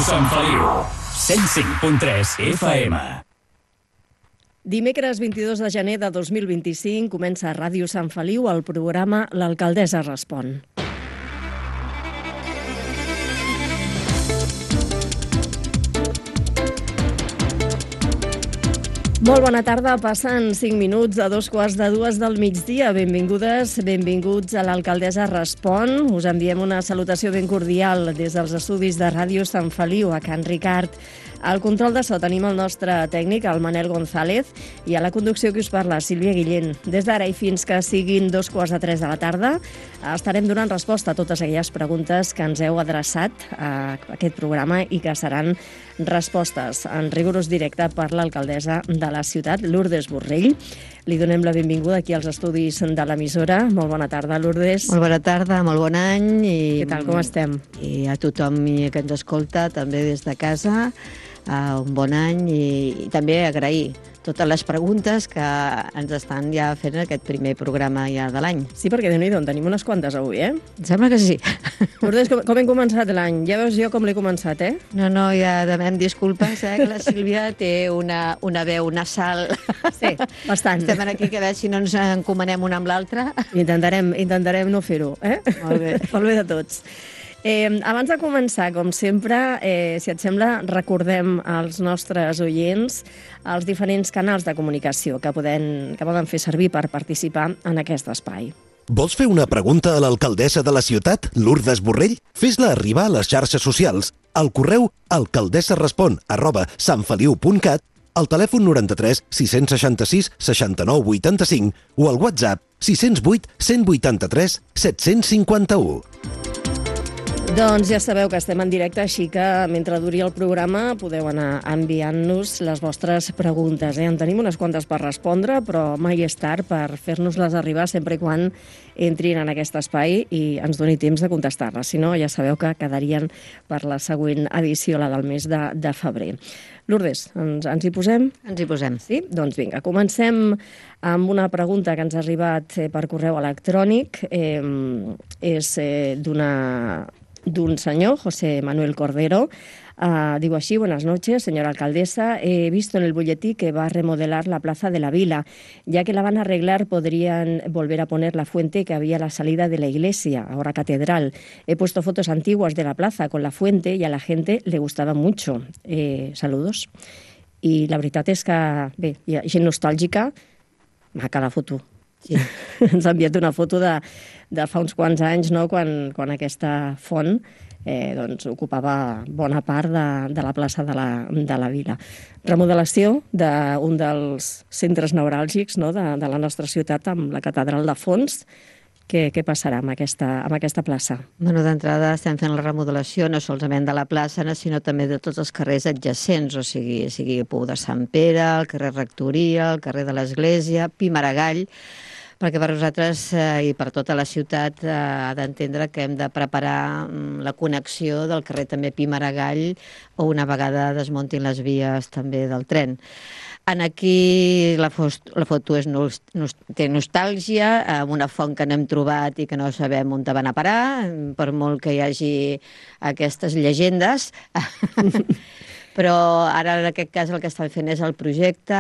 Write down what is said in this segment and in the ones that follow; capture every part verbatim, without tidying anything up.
Sant Feliu, cent cinc punt tres F M. Dimecres vint-i-dos de gener de dos mil vint-i-cinc comença a Ràdio Sant Feliu el programa L'Alcaldessa Respon. Molt bona tarda, passen cinc minuts a dos quarts de dues del migdia. Benvingudes, benvinguts a l'Alcaldessa Respon. Us enviem una salutació ben cordial des dels estudis de Ràdio Sant Feliu, a Can Ricard. Al control de so tenim el nostre tècnic, el Manel González, i a la conducció que us parla, Sílvia Guillén. Des d'ara i fins que siguin dos quarts de tres de la tarda, estarem donant resposta a totes aquelles preguntes que ens heu adreçat a aquest programa i que seran respostes en rigorós directe per l'alcaldessa de la ciutat, Lourdes Borrell. Li donem la benvinguda aquí als estudis de l'emissora. Molt bona tarda, Lourdes. Molt bona tarda, molt bon any. I, Què tal, com estem? I a tothom que ens escolta, també des de casa, uh, un bon any i, i també agrair totes les preguntes que ens estan ja fent aquest primer programa ja de l'any. Sí, perquè Déu-n'hi-do, en tenim unes quantes avui, eh? Em sembla que sí. Lourdes, com, com hem començat l'any? Ja veus jo com l'he començat, eh? No, no, ja demanem disculpes, eh, que la Sílvia té una, una veu nasal. Sí, bastant. Estem aquí que a veure si no ens encomanem una amb l'altra. Intentarem, intentarem no fer-ho, eh? Molt bé. Pel bé de tots. Eh, abans de començar, com sempre, eh, si et sembla, recordem als nostres oients els diferents canals de comunicació que poden, que poden fer servir per participar en aquest espai. Vols fer una pregunta a l'alcaldessa de la ciutat, Lourdes Borrell? Fes-la arribar a les xarxes socials, al correu alcaldessarespon arroba santfeliu punt cat, al telèfon noranta-tres sis seixanta-sis seixanta-nou vuitanta-cinc o al WhatsApp sis zero vuit cent vuitanta-tres set-cents cinquanta-u. Doncs ja sabeu que estem en directe, així que mentre duri el programa podeu anar enviant-nos les vostres preguntes. Eh? En tenim unes quantes per respondre, però mai és tard per fer-nos-les arribar sempre i quan entrin en aquest espai i ens doni temps de contestar-les. Si no, ja sabeu que quedarien per la següent edició, la del mes de, de febrer. Lourdes, ens, ens hi posem? Ens hi posem. Sí? Doncs vinga, comencem amb una pregunta que ens ha arribat per correu electrònic. Eh, és eh, d'una... d'un señor, José Manuel Cordero. Uh, digo así: buenas noches, señora alcaldesa. He visto en el boletín que va a remodelar la Plaza de la Vila. Ya que la van a arreglar, podrían volver a poner la fuente que había a la salida de la iglesia, ahora catedral. He puesto fotos antiguas de la plaza con la fuente y a la gente le gustaba mucho. Eh, saludos. I la veritat és que, bé, hi ha gent nostàlgica, maca la foto. Sí. Ens ha enviat una foto de, de fa uns quants anys, no?, quan, quan aquesta font eh, doncs, ocupava bona part de, de la plaça de la, de la Vila. Remodelació d'un dels centres neuràlgics, no?, de, de la nostra ciutat, amb la catedral de fons. Què, què passarà amb aquesta, amb aquesta plaça? Bueno, d'entrada estem fent la remodelació no solament de la plaça, sinó també de tots els carrers adjacents, o sigui, sigui Pou de Sant Pere, el carrer Rectoria, el carrer de l'Església, Pi Maragall, perquè per nosaltres eh, i per tota la ciutat eh, ha d'entendre que hem de preparar mm, la connexió del carrer també Pi Maragall o una vegada desmuntin les vies també del tren. En aquí la, fost, la foto és nos, nos, té nostàlgia, amb una font que no hem trobat i que no sabem on van a parar, per molt que hi hagi aquestes llegendes. Però ara en aquest cas el que estan fent és el projecte,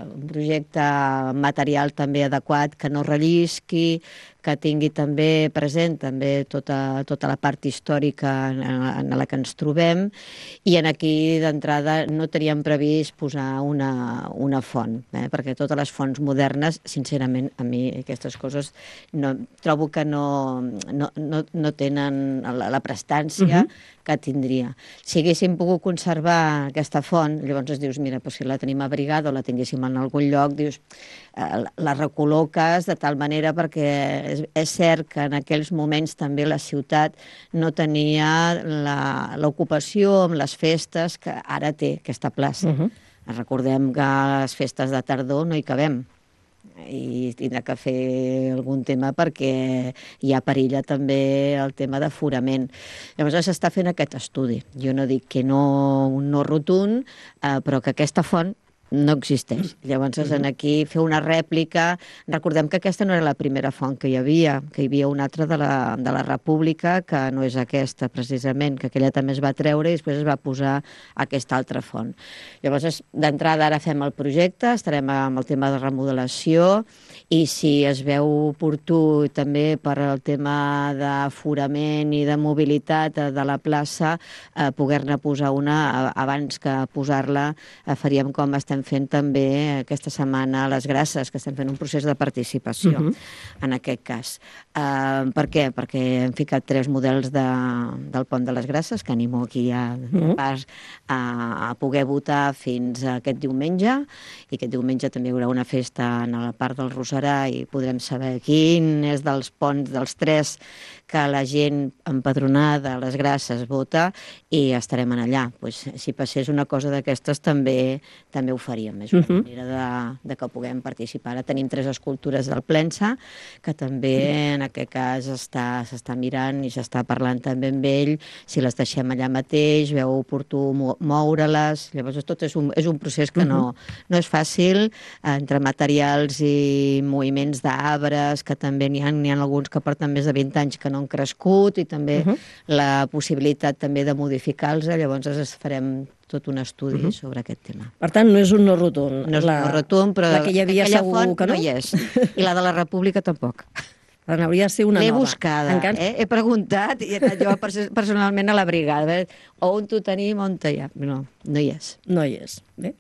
un projecte material també adequat, que no rellisqui, que tingui també present també tota, tota la part històrica en, en la que ens trobem, i en aquí d'entrada no teníem previst posar una, una font, eh? Perquè totes les fonts modernes, sincerament, a mi aquestes coses no, trobo que no, no, no, no tenen la, la prestància uh-huh. que tindria. Si haguéssim pogut conservar aquesta font, llavors es dius, mira, doncs si la tenim abrigada o la tinguéssim en algun lloc, dius, eh, la recol·loques de tal manera perquè és, és cert que en aquells moments també la ciutat no tenia l'ocupació amb les festes que ara té aquesta plaça. Uh-huh. Recordem que a les festes de tardor no hi cabem i tindrà que fer algun tema perquè hi ha perilla també el tema d'aforament. Llavors s'està fent aquest estudi. Jo no dic que no, no rotund, eh, però que aquesta font no existeix. Llavors, en aquí fer una rèplica... Recordem que aquesta no era la primera font que hi havia, que hi havia una altra de la, de la República, que no és aquesta, precisament, que aquella també es va treure i després es va posar aquesta altra font. Llavors, d'entrada, ara fem el projecte, estarem amb el tema de remodelació, i si es veu oportú també per al tema d'aforament i de mobilitat de la plaça, eh, poder-ne posar una abans que posar-la, eh, faríem com estem fent també aquesta setmana a les Grasses, que estem fent un procés de participació, uh -huh. en aquest cas. Uh, per què? Perquè hem ficat tres models de, del Pont de les Grasses, que animo aquí a, uh -huh. pas a, a poder votar fins a aquest diumenge, i aquest diumenge també hi haurà una festa en la part del Roserà i podrem saber quin és dels ponts dels tres que la gent empadronada a les Grasses vota, i estarem en allà. Pues, si passés una cosa d'aquestes també també ho faríem. És una uh -huh. manera de, de que puguem participar. Ara tenim tres escultures del Plensa, que també en aquest cas s'està mirant i s'està parlant també amb ell, si les deixem allà mateix, veu oportú moure-les. Llavors tot és un, és un procés que no, no és fàcil, entre materials i moviments d'arbres, que també n'hi ha, n'hi ha alguns que porten més de vint anys que no han crescut, i també uh -huh. la possibilitat també de modificar-los. Llavors farem tot un estudi uh -huh. sobre aquest tema. Per tant, no és un no rotund. No és la, un no rotund, però la que hi havia aquella segur font que no. no hi és. I la de la República tampoc. Per tant, hauria de ser una L'he nova. buscada, Encara... eh? He preguntat i he anat jo personalment a la brigada. Eh? On t'ho tenim, on hi ha? No, no hi és. No hi és. Bé.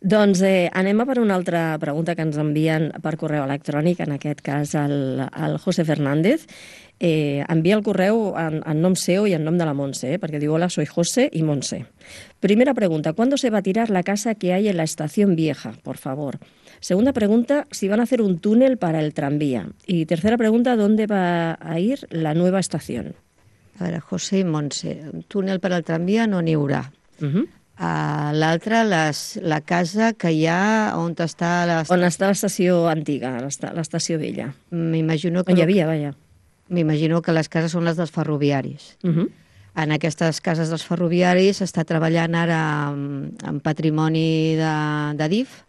Doncs eh, anem a per una altra pregunta que ens envien per correu electrònic, en aquest cas el, el José Fernández. Eh, envia el correu en, en nom seu i en nom de la Montse, eh, perquè diu: hola, soy José y Montse. Primera pregunta: ¿cuándo se va a tirar la casa que hay en la estación vieja? Por favor. Segunda pregunta: si van a hacer un túnel para el tranvía. Y tercera pregunta: ¿dónde va a ir la nueva estación? A veure, José i Montse, un túnel per al tramvia no n'hi haurà. Uh -huh. Uh, L'altra, la casa que hi ha on està... On està l'estació antiga, l'estació vella. M'imagino que... On hi havia, vaja. M'imagino que les cases són les dels ferroviaris. Uh -huh. En aquestes cases dels ferroviaris s'està treballant ara en, en patrimoni de, de D I F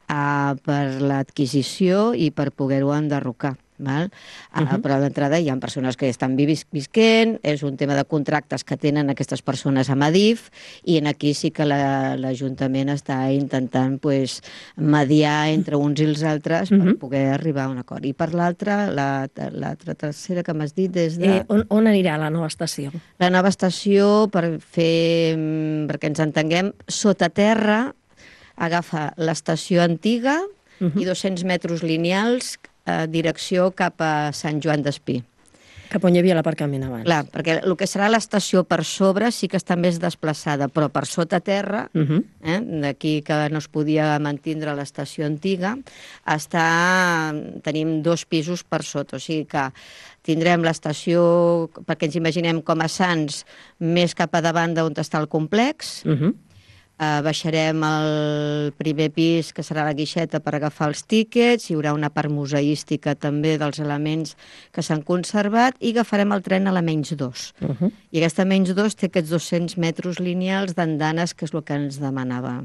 uh, per l'adquisició i per poder-ho enderrocar. Val? Uh -huh. Però d'entrada hi ha persones que estan vis visquent, és un tema de contractes que tenen aquestes persones amb Adif, i en aquí sí que l'Ajuntament la, està intentant pues, mediar entre uns i els altres per uh -huh. poder arribar a un acord. I per l'altra, l'altra la, la tercera que m'has dit des de... Eh, on, on anirà la nova estació? La nova estació, per fer, perquè ens entenguem, sota terra agafa l'estació antiga uh -huh. i dos-cents metres lineals a direcció cap a Sant Joan d'Espí. Cap on hi havia l'aparcament abans. Clar, perquè el que serà l'estació per sobre sí que està més desplaçada, però per sota terra, uh -huh. eh, d'aquí que no es podia mantindre l'estació antiga, està... tenim dos pisos per sota, o sigui que tindrem l'estació, perquè ens imaginem com a Sants, més cap a davant d'on està el complex. Uh -huh. Uh, baixarem al primer pis, que serà la guixeta per agafar els tíquets, hi haurà una part museística també dels elements que s'han conservat, i agafarem el tren a la menys dos. Uh -huh. I aquesta menys dos té aquests dos-cents metres lineals d'andanes, que és el que ens demanava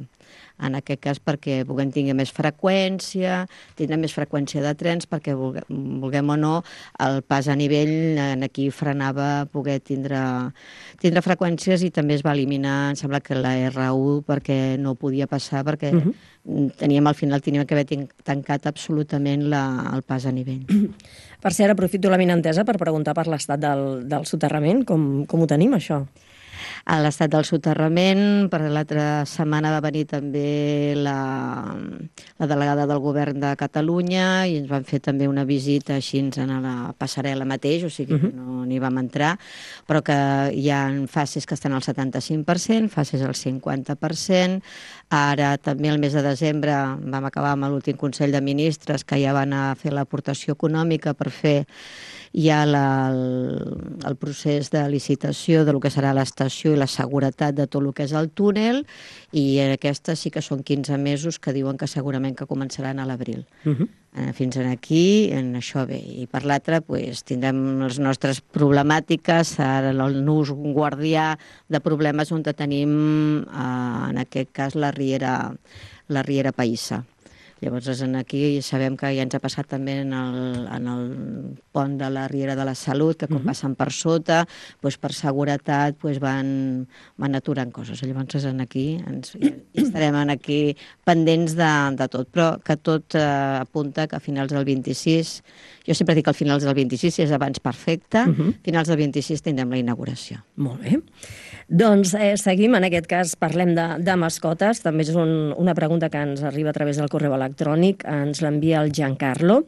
en aquest cas, perquè puguem tenir més freqüència, tindrem més freqüència de trens, perquè vulguem, vulguem o no, el pas a nivell en aquí frenava poder tindre, tindre freqüències, i també es va eliminar, em sembla que la R u, perquè no podia passar, perquè uh -huh. teníem al final teníem que haver tancat absolutament la, el pas a nivell. Per cert, aprofito la vinentesa per preguntar per l'estat del, del soterrament, com, com ho tenim, això? A l'estat del soterrament, per l'altra setmana va venir també la, la delegada del govern de Catalunya, i ens van fer també una visita així a la passarel·la mateix, o sigui que no n'hi vam entrar, però que hi ha fases que estan al setanta-cinc per cent, fases al cinquanta per cent. Ara també el mes de desembre vam acabar amb l'últim Consell de Ministres, que ja van a fer l'aportació econòmica per fer ja la, el, el procés de licitació de lo que serà l'estació i la seguretat de tot el que és el túnel, i aquestes sí que són quinze mesos que diuen que segurament que començaran a l'abril. Uh -huh. eh, fins aquí, en això bé. I per l'altre, pues, tindrem les nostres problemàtiques, ara el nus guardià de problemes on tenim, eh, en aquest cas, la riera la Riera Païssa. Llavors, aquí sabem que ja ens ha passat també en el, en el pont de la Riera de la Salut, que quan uh-huh. passen per sota, doncs per seguretat doncs van, van aturant coses. Llavors, aquí ens, ja estarem aquí pendents de, de tot, però que tot eh, apunta que a finals del vint-i-sis, jo sempre dic que al finals del vint-i-sis, si és abans perfecte, uh-huh. a finals del vint-i-sis tindrem la inauguració. Molt bé. Doncs eh, seguim, en aquest cas parlem de, de mascotes, també és un, una pregunta que ens arriba a través del correu electrònic, ens l'envia el Giancarlo.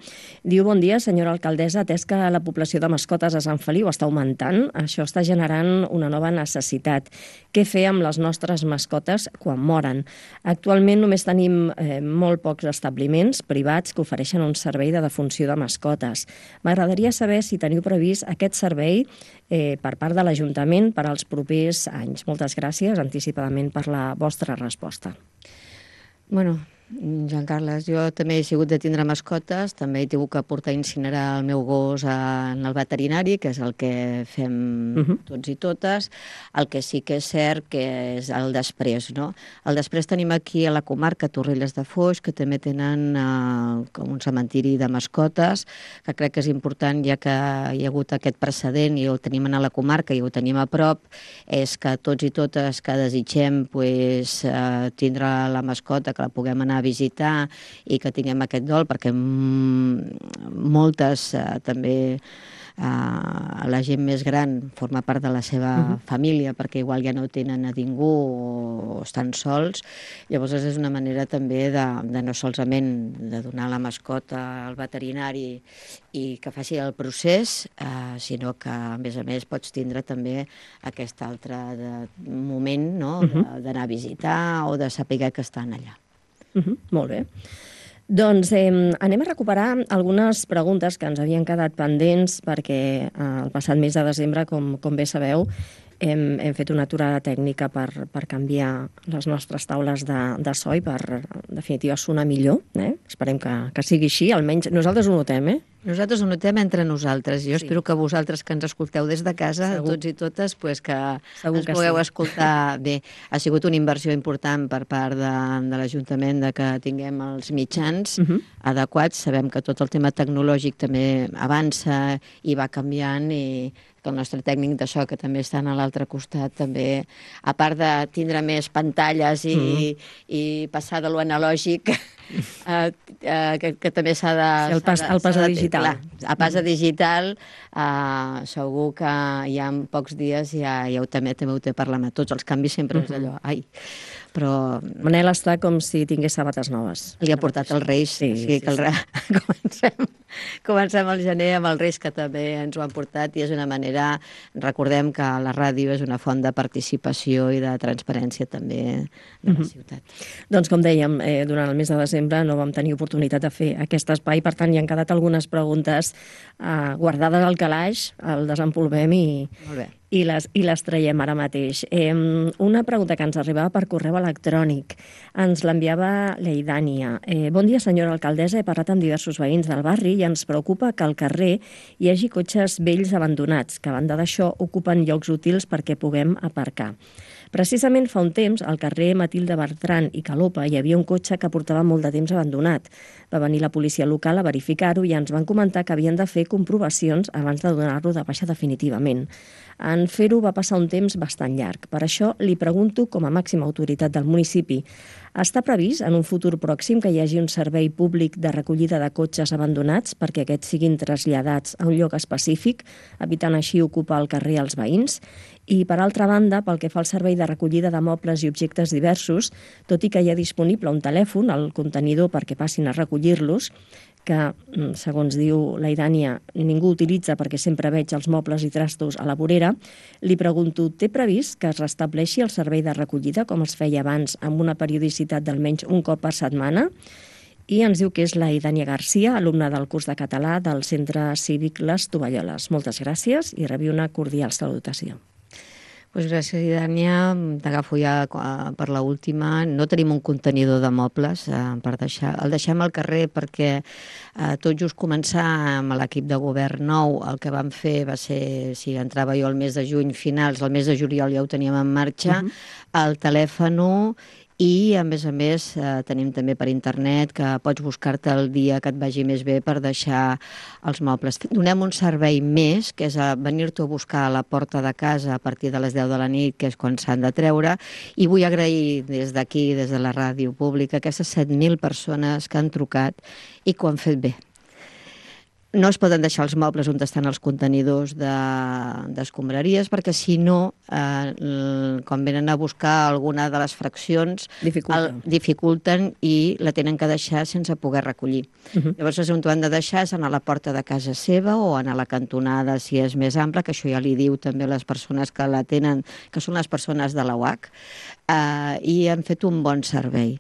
Diu, bon dia, senyora alcaldessa, atès que la població de mascotes a Sant Feliu està augmentant, això està generant una nova necessitat. Què fer amb les nostres mascotes quan moren? Actualment només tenim eh, molt pocs establiments privats que ofereixen un servei de defunció de mascotes. M'agradaria saber si teniu previst aquest servei eh, per part de l'Ajuntament per als propers anys. Moltes gràcies anticipadament per la vostra resposta. Bueno, Joan Carles, jo també he sigut de tindre mascotes, també he tingut que portar a incinerar el meu gos en el veterinari, que és el que fem uh-huh. tots i totes. El que sí que és cert que és el després, no? El després tenim aquí a la comarca Torrelles de Foix, que també tenen eh, com un cementiri de mascotes, que crec que és important, ja que hi ha hagut aquest precedent i ho tenim a la comarca i ho tenim a prop, és que tots i totes que desitgem pues, eh, tindre la mascota, que la puguem anar a visitar i que tinguem aquest dol, perquè moltes eh, també eh, la gent més gran forma part de la seva uh-huh. família, perquè igual ja no tenen a ningú o estan sols. Llavors és una manera també de, de no solament de donar la mascota al veterinari i que faci el procés, eh, sinó que a més a més pots tindre també aquest altre de, moment, no? uh-huh. d'anar a visitar o de saber que estan allà. Uh-huh, molt bé. Doncs eh, anem a recuperar algunes preguntes que ens havien quedat pendents perquè eh, el passat mes de desembre, com, com bé sabeu, hem, hem fet una aturada tècnica per, per canviar les nostres taules de, de so i per, en definitiva, sonar millor. Eh? Esperem que, que sigui així, almenys nosaltres ho notem, eh? Nosaltres ho notem entre nosaltres. Jo sí. espero que vosaltres que ens escolteu des de casa, Segur. tots i totes, pues que Segur ens que pugueu sí. escoltar bé. Ha sigut una inversió important per part de, de l'Ajuntament de que tinguem els mitjans uh-huh. adequats. Sabem que tot el tema tecnològic també avança i va canviant i que el nostre tècnic de so, que també està a l'altre costat, també, a part de tindre més pantalles i, mm. i passar de lo analògic, eh, eh, que, que també s'ha de... Sí, el pas, el pas a digital. Clar, a pas a digital, eh, segur que ja en pocs dies ja, ja ho també, també ho té per la mà. Tots els canvis sempre mm-hmm. és allò, ai... Però... Manel està com si tingués sabates noves. Li ha portat els Reis, sí, o sigui sí, que el re... sí. comencem, comencem al gener amb els Reis, que també ens ho han portat, i és una manera, recordem que la ràdio és una font de participació i de transparència també de la mm-hmm. ciutat. Doncs com dèiem, eh, durant el mes de desembre no vam tenir oportunitat de fer aquest espai, per tant hi han quedat algunes preguntes eh, guardades al calaix, el desempolvem i... Molt bé. I les, i les traiem ara mateix. Eh, una pregunta que ens arribava per correu electrònic. Ens l'enviava l'Eidània. Eh, bon dia, senyora alcaldessa. He parlat amb diversos veïns del barri i ens preocupa que al carrer hi hagi cotxes vells abandonats, que a banda d'això ocupen llocs útils perquè puguem aparcar. Precisament fa un temps, al carrer Matilde Bertran i Calopa hi havia un cotxe que portava molt de temps abandonat. Va venir la policia local a verificar-ho i ens van comentar que havien de fer comprovacions abans de donar-lo de baixa definitivament. En fer-ho va passar un temps bastant llarg. Per això li pregunto, com a màxima autoritat del municipi, està previst en un futur pròxim que hi hagi un servei públic de recollida de cotxes abandonats perquè aquests siguin traslladats a un lloc específic, evitant així ocupar el carrer als veïns? I, per altra banda, pel que fa al servei de recollida de mobles i objectes diversos, tot i que hi ha disponible un telèfon al contenidor perquè passin a recollir-los, que, segons diu la Idània, ningú utilitza perquè sempre veig els mobles i trastos a la vorera, li pregunto, té previst que es restableixi el servei de recollida com es feia abans amb una periodicitat d'almenys un cop per setmana? I ens diu que és la Idània Garcia, alumna del curs de català del Centre Cívic Les Tovalloles. Moltes gràcies i rebi una cordial salutació. Pues gràcies, Idània. T'agafo ja per l'última. No tenim un contenidor de mobles eh, per deixar. El deixem al carrer perquè eh, tot just començar amb l'equip de govern nou, el que vam fer va ser, si entrava jo el mes de juny, finals, el mes de juliol ja ho teníem en marxa, uh-huh. el telèfon i, a més a més, eh, tenim també per internet que pots buscar-te el dia que et vagi més bé per deixar els mobles. Donem un servei més, que és a venir-t'ho a buscar a la porta de casa a partir de les deu de la nit, que és quan s'han de treure, i vull agrair des d'aquí, des de la ràdio pública, aquestes set mil persones que han trucat i que ho han fet bé. No es poden deixar els mobles on estan els contenidors d'escombraries, de, perquè si no, eh, quan venen a buscar alguna de les fraccions, dificulten. El, dificulten i la tenen que deixar sense poder recollir. Uh -huh. Llavors, on ho han de deixar és anar a la porta de casa seva o anar a la cantonada, si és més ampla, que això ja li diu també a les persones que la tenen, que són les persones de la U H C, eh, i han fet un bon servei.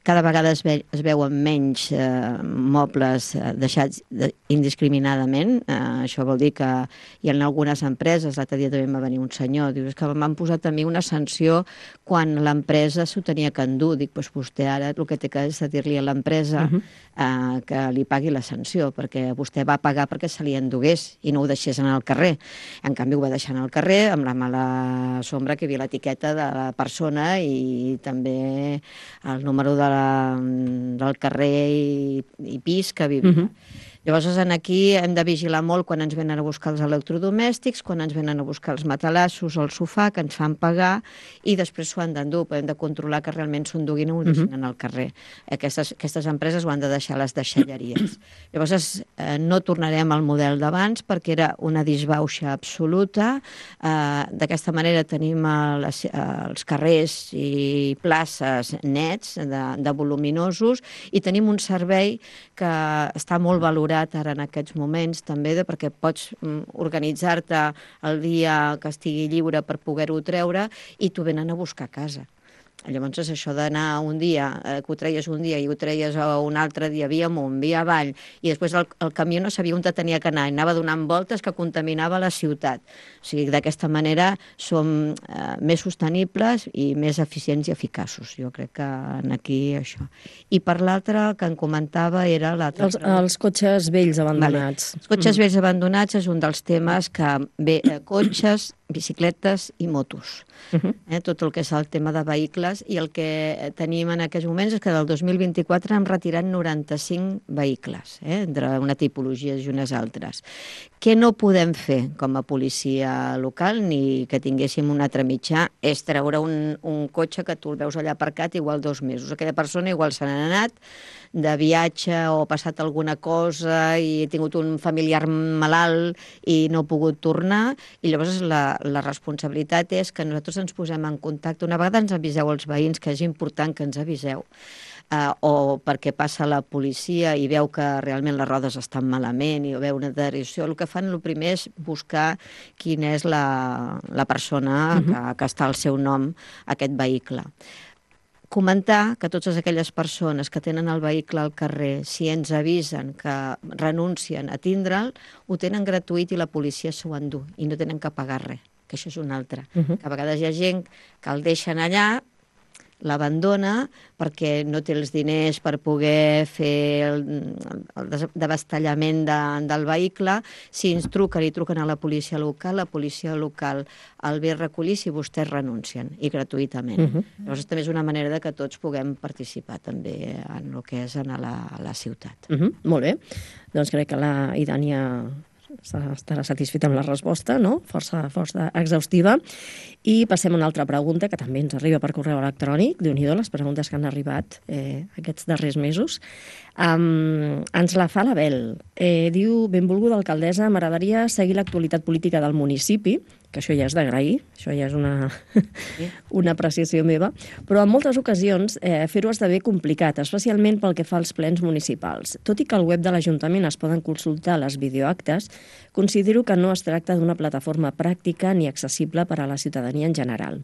Cada vegada es, ve, es veuen menys eh, mobles eh, deixats de, indiscriminadament. Eh, això vol dir que hi ha algunes empreses, l'altre dia també va venir un senyor, diu, és que m'han posat a mi una sanció quan l'empresa s'ho tenia que endur. Dic, doncs vostè ara el que té que és dir-li a l'empresa uh -huh. eh, que li pagui la sanció, perquè vostè va pagar perquè se li endugués i no ho deixés anar al carrer. En canvi, ho va deixar anar al carrer amb la mala sombra que hi havia l'etiqueta de la persona i també el número de la, del carrer i, i pis que vivia. Uh-huh. Llavors, aquí hem de vigilar molt quan ens venen a buscar els electrodomèstics, quan ens venen a buscar els matalassos o el sofà, que ens fan pagar, i després s'ho han d'endur. Hem de controlar que realment s'ho enduguin i ho deixin uh-huh. al carrer. Aquestes, aquestes empreses ho han de deixar a les deixalleries. Llavors, eh, no tornarem al model d'abans, perquè era una disbauxa absoluta. Eh, D'aquesta manera tenim les, els carrers i places nets, de, de voluminosos, i tenim un servei que està molt valorat ara en aquests moments, també de, perquè pots mm, organitzar-te el dia que estigui lliure per poder-ho treure i t'ho venen a buscar a casa. Llavors, és això d'anar un dia, eh, que ho treies un dia i ho treies un altre dia via amunt, via avall, i després el, el camió no sabia on tenia que anar, i anava donant voltes que contaminava la ciutat. O sigui, d'aquesta manera som eh, més sostenibles i més eficients i eficaços. Jo crec que aquí això. I per l'altre, el que em comentava era l'altre... Els, els cotxes vells abandonats. Vale. Els cotxes vells abandonats és un dels temes que bé, eh, cotxes, bicicletes i motos. Uh-huh. eh, tot el que és el tema de vehicles, i el que tenim en aquests moments és que del dos mil vint-i-quatre hem retirat noranta-cinc vehicles, eh, entre una tipologia i unes altres. Què no podem fer com a policia local, ni que tinguéssim un altre mitjà, és treure un, un cotxe que tu el veus allà aparcat igual dos mesos. Aquella persona igual se n'ha anat de viatge o ha passat alguna cosa i ha tingut un familiar malalt i no ha pogut tornar, i llavors la, la responsabilitat és que nosaltres ens posem en contacte. Una vegada ens aviseu els veïns, que és important que ens aviseu, uh, o perquè passa la policia i veu que realment les rodes estan malament i veu una deterioració. El que fan, el primer és buscar quina és la, la persona uh-huh. que, que està al seu nom, aquest vehicle. Comentar que totes aquelles persones que tenen el vehicle al carrer, si ens avisen que renuncien a tindre'l, ho tenen gratuït i la policia s'ho endú i no tenen que pagar res, que això és un altre. Uh-huh. Que a vegades hi ha gent que el deixen allà, l'abandona perquè no té els diners per poder fer el, el desbastallament de, del vehicle. Si ens truquen i truquen a la policia local, la policia local el ve a recollir si vostès renuncien, i gratuïtament. Uh-huh. Llavors també és una manera de que tots puguem participar també en el que és en la, a la ciutat. Uh-huh. Molt bé. Doncs crec que la Idània estarà satisfeta amb la resposta, no? Força, força exhaustiva. I passem a una altra pregunta que també ens arriba per correu electrònic. Déu-n'hi-do, les preguntes que han arribat eh, aquests darrers mesos. Um, ens la fa l'Abel. Eh, diu, benvolguda alcaldessa, m'agradaria seguir l'actualitat política del municipi, que això ja és d'agrair, això ja és una, una apreciació meva, però en moltes ocasions eh, fer-ho esdevé complicat, especialment pel que fa als plens municipals. Tot i que al web de l'Ajuntament es poden consultar les videoactes, considero que no es tracta d'una plataforma pràctica ni accessible per a la ciutadania en general.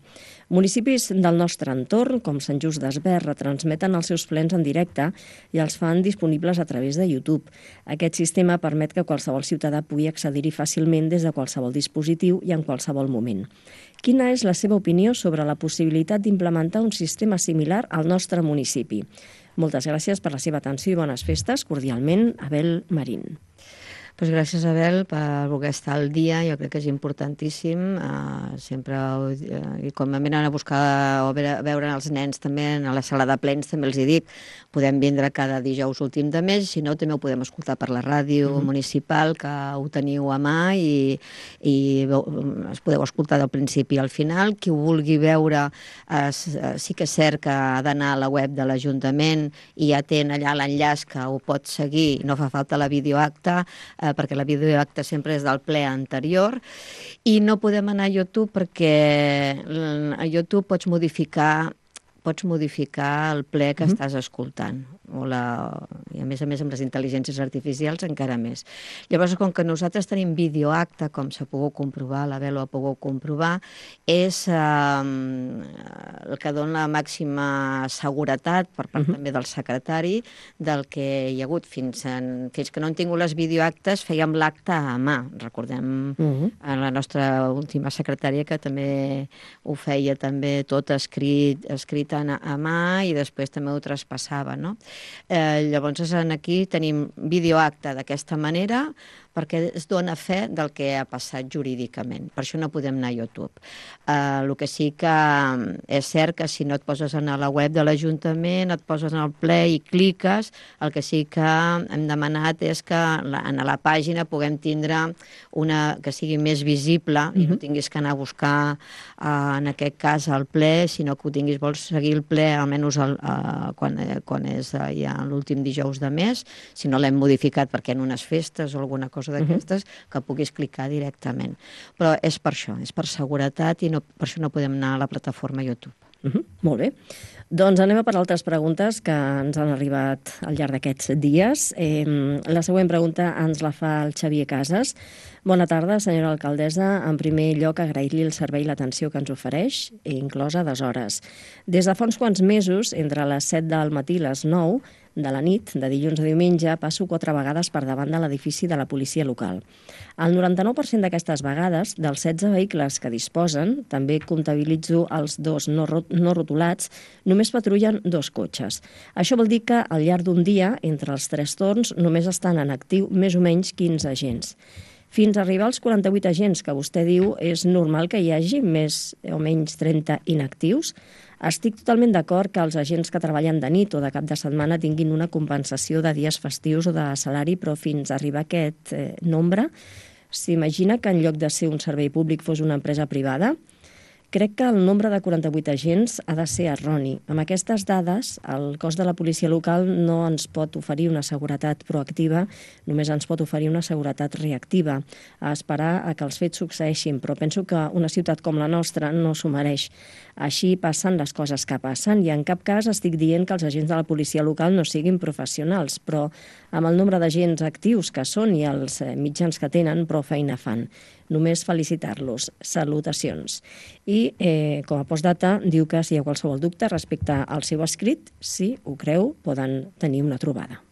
Municipis del nostre entorn, com Sant Just d'Esvern, retransmeten els seus plens en directe i els fan disponibles a través de YouTube. Aquest sistema permet que qualsevol ciutadà pugui accedir-hi fàcilment des de qualsevol dispositiu i en qualsevol moment. Quina és la seva opinió sobre la possibilitat d'implementar un sistema similar al nostre municipi? Moltes gràcies per la seva atenció i bones festes. Cordialment, Abel Marín. Pues gràcies, Abel, per voler estar al dia. Jo crec que és importantíssim. Uh, sempre, uh, i com venen a buscar o a veure, a veure els nens també a la sala de plens, també els hi dic, podem vindre cada dijous últim de mes, si no també ho podem escoltar per la ràdio mm-hmm. municipal, que ho teniu a mà i, i es podeu escoltar del principi al final. Qui ho vulgui veure, uh, sí que és cert que ha d'anar a la web de l'Ajuntament i ja té allà l'enllaç que ho pot seguir, no fa falta la videoacta, eh, perquè la videoacta sempre és del ple anterior, i no podem anar a YouTube perquè a YouTube pots modificar pots modificar el ple que mm-hmm. estàs escoltant. O la... I a més a més amb les intel·ligències artificials encara més. Llavors, com que nosaltres tenim videoacte, com s'ha pogut comprovar, la Bel ho ha pogut comprovar, és eh, el que dona la màxima seguretat per part mm-hmm. també del secretari del que hi ha hagut. Fins, en, fins que no han tingut les videoactes fèiem l'acte a mà. Recordem mm-hmm. a la nostra última secretària que també ho feia també tot escrit, escrit a, a mà i després també ho traspassava, no? Eh, llavors aquí tenim videoacte d'aquesta manera perquè es dona fe del que ha passat jurídicament. Per això no podem anar a YouTube. Eh, el que sí que és cert que si no et poses a la web de l'Ajuntament, et poses en el ple i cliques, el que sí que hem demanat és que en la pàgina puguem tindre una que sigui més visible mm-hmm. i no tinguis que anar a buscar, eh, en aquest cas, el ple, sinó que ho tinguis, vols seguir el ple almenys el, eh, quan, eh, quan és eh, ja l'últim dijous de mes, si no l'hem modificat perquè en unes festes o alguna cosa d'aquestes, uh-huh. que puguis clicar directament. Però és per això, és per seguretat i no, per això no podem anar a la plataforma YouTube. Uh-huh. Molt bé. Doncs anem a per altres preguntes que ens han arribat al llarg d'aquests dies. Eh, la següent pregunta ens la fa el Xavier Casas. Bona tarda, senyora alcaldessa. En primer lloc, agrair-li el servei i l'atenció que ens ofereix, inclosa des hores. Des de fa uns quants mesos, entre les set del matí i les nou de la nit, de dilluns a diumenge, passo quatre vegades per davant de l'edifici de la policia local. El noranta-nou per cent d'aquestes vegades, dels setze vehicles que disposen, també comptabilitzo els dos no, no rotulats, només patrullen dos cotxes. Això vol dir que al llarg d'un dia, entre els tres torns, només estan en actiu més o menys quinze agents. Fins a arribar als quaranta-vuit agents que vostè diu, és normal que hi hagi més o menys trenta inactius? Estic totalment d'acord que els agents que treballen de nit o de cap de setmana tinguin una compensació de dies festius o de salari, però fins a arribar a aquest eh, nombre, s'imagina que en lloc de ser un servei públic fos una empresa privada? Crec que el nombre de quaranta-vuit agents ha de ser erroni. Amb aquestes dades, el cos de la policia local no ens pot oferir una seguretat proactiva, només ens pot oferir una seguretat reactiva, a esperar a que els fets succeeixin, però penso que una ciutat com la nostra no s'ho mereix. Així passen les coses que passen i en cap cas estic dient que els agents de la policia local no siguin professionals, però amb el nombre d'agents actius que són i els mitjans que tenen, prou feina fan. Només felicitar-los. Salutacions. I eh, com a postdata diu que si hi ha qualsevol dubte respecte al seu escrit, si ho creu, poden tenir una trobada.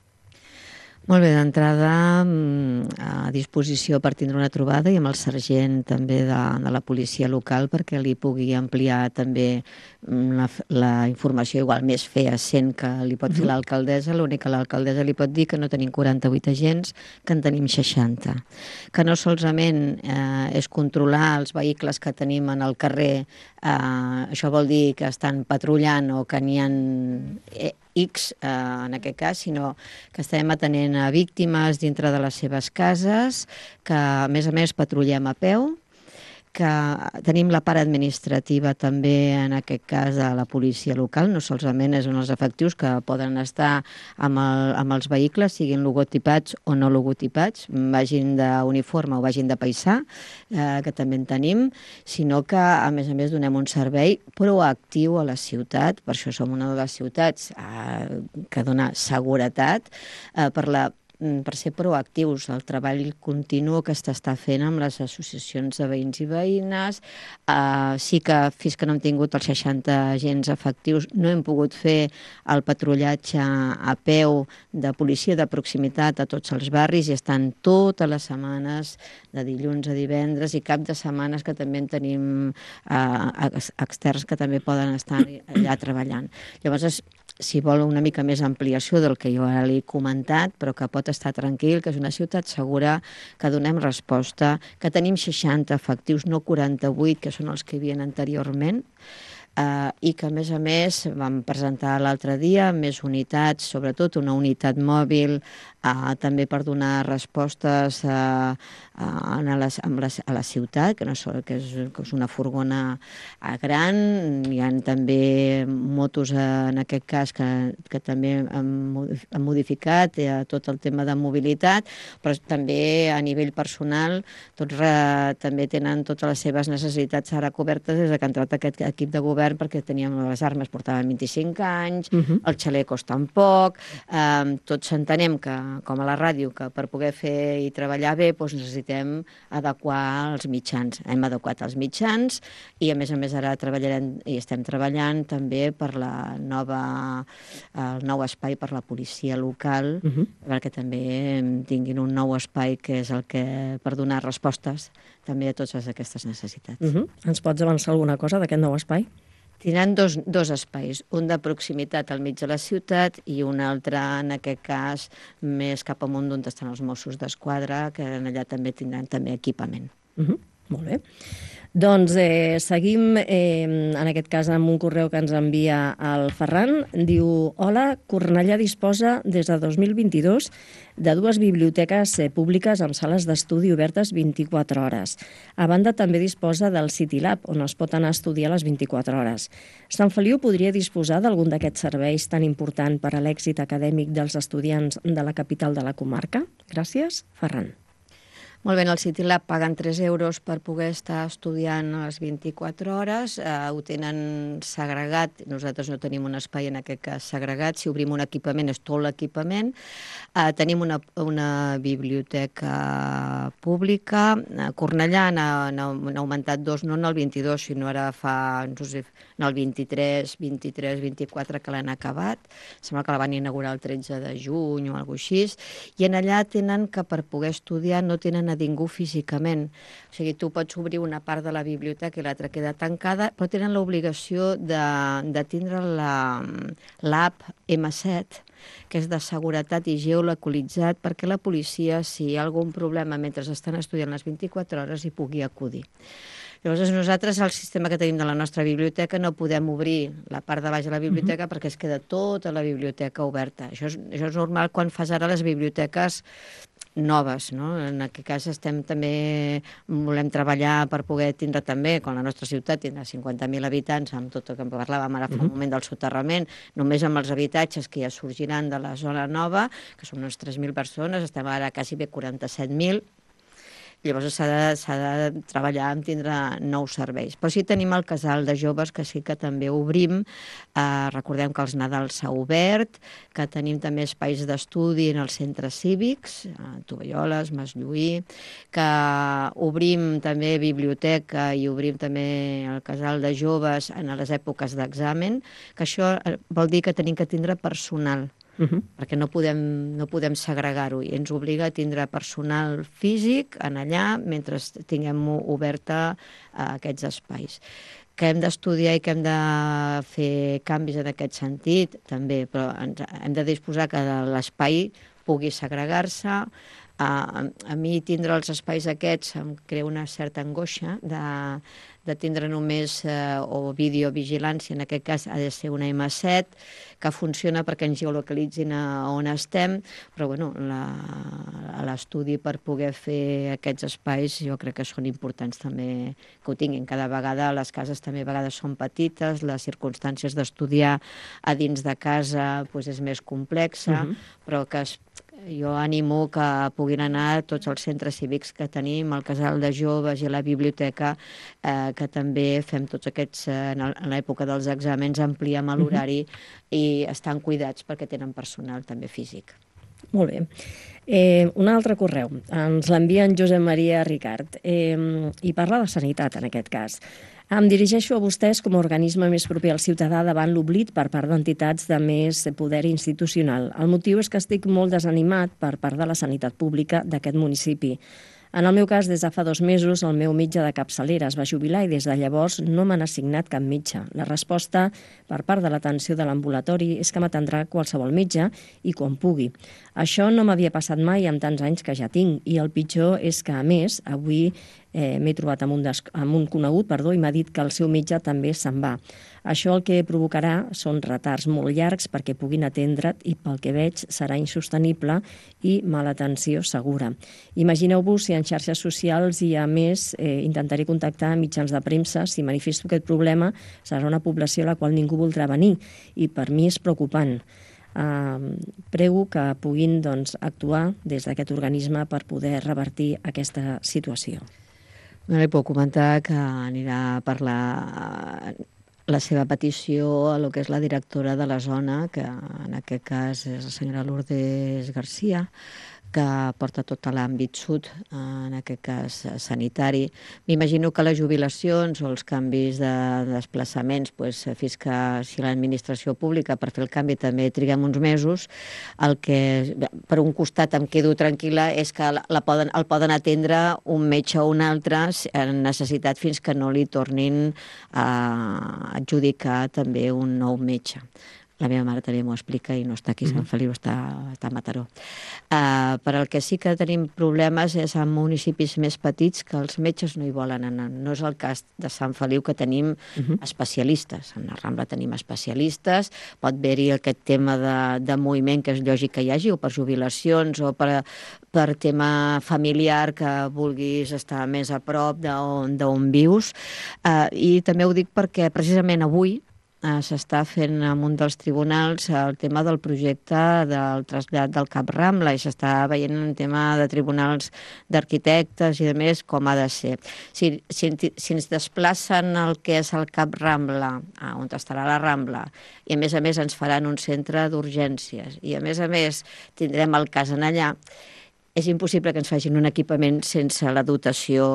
Molt bé, d'entrada a disposició per tindre una trobada i amb el sergent també de, de la policia local perquè li pugui ampliar també la, la informació igual més feacent que li pot fer l'alcaldessa. L'únic que l'alcaldessa li pot dir que no tenim quaranta-vuit agents, que en tenim seixanta. Que no solament eh, és controlar els vehicles que tenim en el carrer, eh, això vol dir que estan patrullant o que n'hi ha eh, X, eh, en aquest cas, sinó que estem atenent a víctimes dintre de les seves cases, que a més a més patrullem a peu, que tenim la part administrativa també, en aquest cas, de la policia local, no solament és en els efectius que poden estar amb, el, amb els vehicles, siguin logotipats o no logotipats, vagin d'uniforme o vagin de paisà, eh, que també en tenim, sinó que, a més a més, donem un servei proactiu a la ciutat, per això som una de les ciutats eh, que dona seguretat eh, per la per ser proactius, el treball continu que s'està fent amb les associacions de veïns i veïnes. Uh, sí que fins que no hem tingut els seixanta agents efectius no hem pogut fer el patrullatge a peu de policia de proximitat a tots els barris i estan totes les setmanes de dilluns a divendres i cap de setmanes que també en tenim uh, externs que també poden estar allà treballant. Llavors, si vol una mica més ampliació del que jo ara li he comentat, però que pot estar tranquil, que és una ciutat segura, que donem resposta, que tenim seixanta efectius, no quaranta-vuit, que són els que hi havia anteriorment, Uh, i que, a més a més, vam presentar l'altre dia més unitats, sobretot una unitat mòbil, uh, també per donar respostes uh, uh, a, les, a, la, a la ciutat, que, no és, que, és, que és una furgona uh, gran. Hi ha també motos, uh, en aquest cas, que, que també han, han modificat uh, tot el tema de mobilitat, però també a nivell personal tots uh, també tenen totes les seves necessitats ara cobertes des que ha entrat aquest equip de govern, perquè teníem les armes, portaven vint-i-cinc anys, uh-huh. els xalecos tampoc, eh, tots entenem que, com a la ràdio, que per poder fer i treballar bé doncs necessitem adequar els mitjans. Hem adequat els mitjans i, a més a més, ara treballarem i estem treballant també per la nova, el nou espai per la policia local, uh-huh. perquè també tinguin un nou espai que és el que per donar respostes també a totes aquestes necessitats. Uh-huh. Ens pots avançar alguna cosa d'aquest nou espai? Tindran dos, dos espais, un de proximitat al mig de la ciutat i un altre, en aquest cas, més cap amunt d'on estan els Mossos d'Esquadra, que allà també tindran també equipament. Uh-huh. Molt bé. Doncs eh, seguim, eh, en aquest cas, amb un correu que ens envia el Ferran. Diu, hola, Cornellà disposa des de dos mil vint-i-dos de dues biblioteques eh, públiques amb sales d'estudi obertes vint-i-quatre hores. A banda, també disposa del City Lab, on es pot anar a estudiar les vint-i-quatre hores. Sant Feliu podria disposar d'algun d'aquests serveis tan important per a l'èxit acadèmic dels estudiants de la capital de la comarca? Gràcies, Ferran. Molt bé, en el City Lab paguen tres euros per poder estar estudiant a les vint-i-quatre hores, eh, ho tenen segregat, nosaltres no tenim un espai en aquest cas segregat, si obrim un equipament és tot l'equipament, eh, tenim una, una biblioteca pública, a Cornellà n'ha augmentat dos, no en el vint-i-dos, sinó ara fa, no sé, en el vint-i-tres, vint-i-tres, vint-i-quatre que l'han acabat, sembla que la van inaugurar el tretze de juny o alguna cosa així, i en allà tenen que per poder estudiar no tenen a ningú físicament. O sigui, tu pots obrir una part de la biblioteca i l'altra queda tancada, però tenen l'obligació de, de tindre l'app ema set, que és de seguretat i geolocalitzat, perquè la policia, si hi ha algun problema mentre estan estudiant les vint-i-quatre hores, hi pugui acudir. Llavors, nosaltres, el sistema que tenim de la nostra biblioteca, no podem obrir la part de baix de la biblioteca uh-huh. perquè es queda tota la biblioteca oberta. Això és, això és normal quan fas ara les biblioteques noves, no? En aquest cas estem també, volem treballar per poder tindre també, quan la nostra ciutat tindrà cinquanta mil habitants, amb tot el que parlàvem ara fa un moment del soterrament, només amb els habitatges que ja sorgiran de la zona nova, que són unes tres mil persones, estem ara quasi bé quaranta-set mil, llavors s'ha de, s'ha de treballar en tindre nous serveis. Però sí tenim el casal de joves, que sí que també obrim. Eh, recordem que els Nadals s'ha obert, que tenim també espais d'estudi en els centres cívics, a Tovalloles, Maslluí, que obrim també biblioteca i obrim també el casal de joves en les èpoques d'examen, que això vol dir que tenim que tindre personal. Uh-huh. Perquè no podem, no podem segregar-ho i ens obliga a tindre personal físic en allà mentre tinguem oberta uh, aquests espais. Que hem d'estudiar i que hem de fer canvis en aquest sentit, també, però ens, hem de disposar que l'espai pugui segregar-se. Uh, a mi tindre els espais aquests em crea una certa angoixa de, de tindre només uh, o videovigilància, en aquest cas ha de ser una ema set, que funciona perquè ens geolocalitzin a on estem, però bueno, la, l'estudi per poder fer aquests espais jo crec que són importants també que ho tinguin. Cada vegada les cases també a vegades són petites, les circumstàncies d'estudiar a dins de casa pues, és més complexa, uh-huh. però que es jo animo que puguin anar a tots els centres cívics que tenim, el casal de joves i la biblioteca, eh, que també fem tots aquests, eh, en l'època dels exàmens, ampliem l'horari uh-huh. i estan cuidats perquè tenen personal també físic. Molt bé. Eh, un altre correu. Ens l'envia en Josep Maria Ricard eh, i parla de sanitat, en aquest cas. Em dirigeixo a vostès com a organisme més proper al ciutadà davant l'oblit per part d'entitats de més poder institucional. El motiu és que estic molt desanimat per part de la sanitat pública d'aquest municipi. En el meu cas, des de fa dos mesos, el meu metge de capçalera es va jubilar i des de llavors no m'han assignat cap metge. La resposta per part de l'atenció de l'ambulatori és que m'atendrà qualsevol metge i quan pugui. Això no m'havia passat mai amb tants anys que ja tinc i el pitjor és que, a més, avui eh, m'he trobat amb un, des... amb un conegut perdó, i m'ha dit que el seu metge també se'n va. Això el que provocarà són retards molt llargs perquè puguin atendre't i pel que veig serà insostenible i mala atenció segura. Imagineu-vos si en xarxes socials i a més eh, intentaré contactar mitjans de premsa. Si manifesto aquest problema serà una població a la qual ningú voldrà venir i per mi és preocupant. Uh, prego que puguin doncs, actuar des d'aquest organisme per poder revertir aquesta situació. No li puc comentar que anirà a parlar la seva petició a lo que és la directora de la zona, que en aquest cas és la senyora Lourdes Garcia, que porta tot l'àmbit sud, en aquest cas sanitari. M'imagino que les jubilacions o els canvis de desplaçaments, doncs, fins que si l'administració pública per fer el canvi també triguem uns mesos, el que per un costat em quedo tranquil·la és que la poden, el poden atendre un metge o un altre en necessitat fins que no li tornin a adjudicar també un nou metge. La meva mare també m'ho explica i no està aquí a Sant Feliu, està, està a Mataró. Uh, per al que sí que tenim problemes és en municipis més petits que els metges no hi volen anar. No és el cas de Sant Feliu, que tenim uh-huh. especialistes. En la Rambla tenim especialistes, pot haver-hi aquest tema de, de moviment que és lògic que hi hagi, o per jubilacions, o per, per tema familiar que vulguis estar més a prop d'on, d'on vius. Uh, I també ho dic perquè precisament avui s'està fent en un dels tribunals el tema del projecte del trasllat del Cap Rambla i s'està veient un tema de tribunals d'arquitectes i de més com ha de ser. Si, si, si ens desplacen el que és el Cap Rambla, on estarà la Rambla, i a més a més ens faran un centre d'urgències i a més a més tindrem el cas en allà, és impossible que ens facin un equipament sense la dotació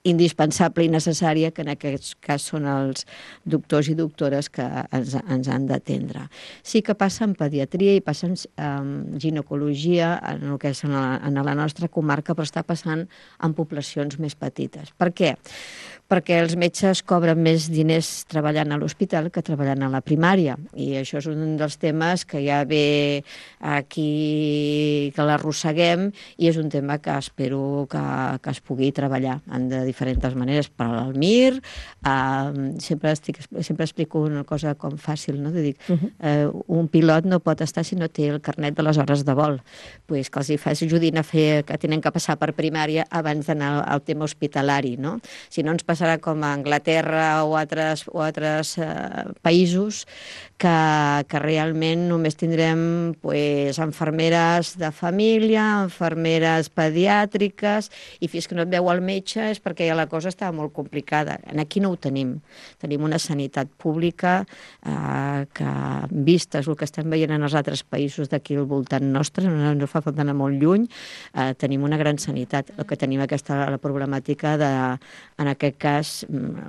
indispensable i necessària, que en aquest cas són els doctors i doctores que ens, ens han d'atendre. Sí que passa en pediatria i passa en um, ginecologia, en el que és en la, en la nostra comarca, però està passant en poblacions més petites. Per què? Perquè els metges cobren més diners treballant a l'hospital que treballant a la primària. I això és un dels temes que ja ve aquí, que l'arrosseguem, i és un tema que espero que, que es pugui treballar en de diferents maneres. Per al M I R, eh, sempre, estic, sempre explico una cosa com fàcil, no? Dic, uh-huh. eh, un pilot no pot estar si no té el carnet de les hores de vol. Pues que els hi fa ajudin a fer, que tenen que passar per primària abans d'anar al tema hospitalari, no? Si no ens passarà com a Anglaterra o altres, o altres eh, països que, que realment només tindrem pues, infermeres de família, infermeres pediàtriques, i fins que no et veu el metge és perquè ja la cosa estava molt complicada. Aquí no ho tenim. Tenim una sanitat pública eh, que, vistes el que estem veient en els altres països d'aquí al voltant nostre, no, no fa falta anar molt lluny, eh, tenim una gran sanitat. El que tenim aquesta la problemàtica de, en aquest cas,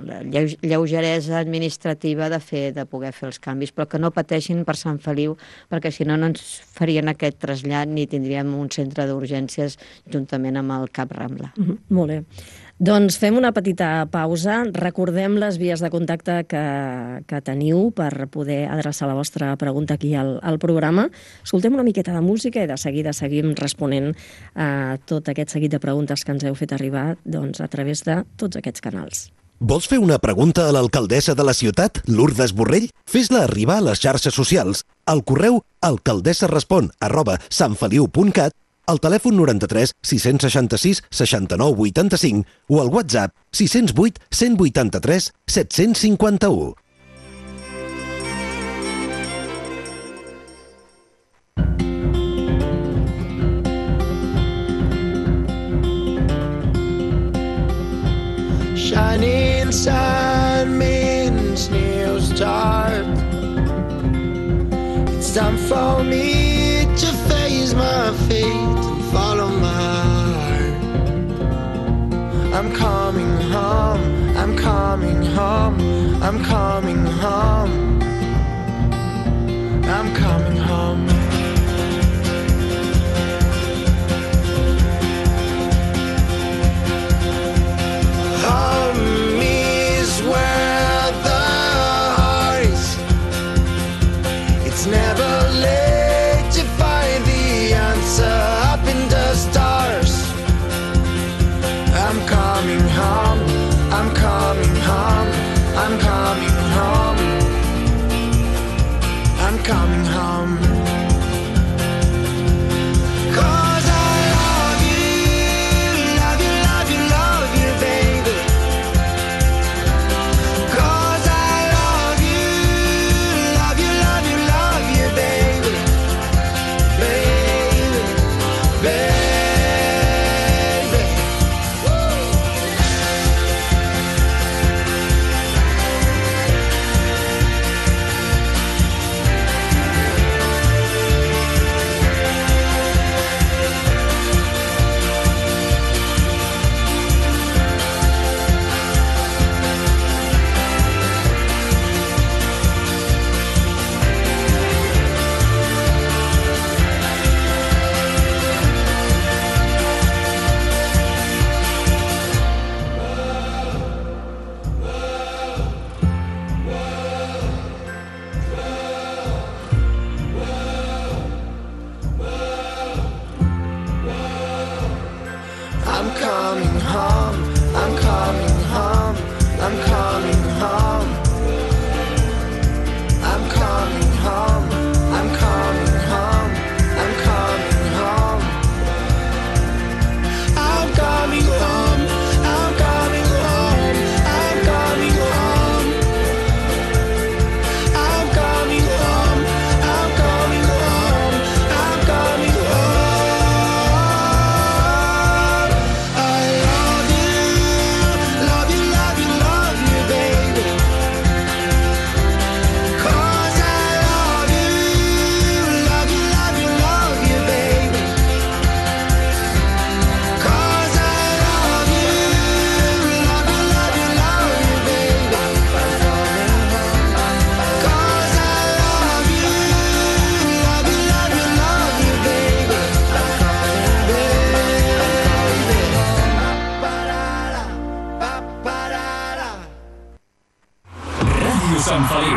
la lleugeresa administrativa de fer, de poder fer els canvis, però que no pateixin per Sant Feliu, perquè si no no ens farien aquest trasllat ni tindríem un centre d'urgències juntament amb el Cap Rambla. Mm-hmm. Molt bé. Doncs fem una petita pausa. Recordem les vies de contacte que, que teniu per poder adreçar la vostra pregunta aquí al, al programa. Escoltem una miqueta de música i de seguida seguim responent a tot aquest seguit de preguntes que ens heu fet arribar doncs, a través de tots aquests canals. Vols fer una pregunta a l'alcaldessa de la ciutat, Lourdes Borrell? Fes-la arribar a les xarxes socials, al correu alcaldessarespon arroba santfeliu punt cat, al telèfon noranta-tres sis seixanta-sis seixanta-nou vuitanta-cinc o al WhatsApp sis zero vuit cent vuitanta-tres set-cents cinquanta-u. Shining sun means new start. It's time for me to face my fate and follow my heart. I'm coming home, I'm coming home, I'm coming home, I'm coming home.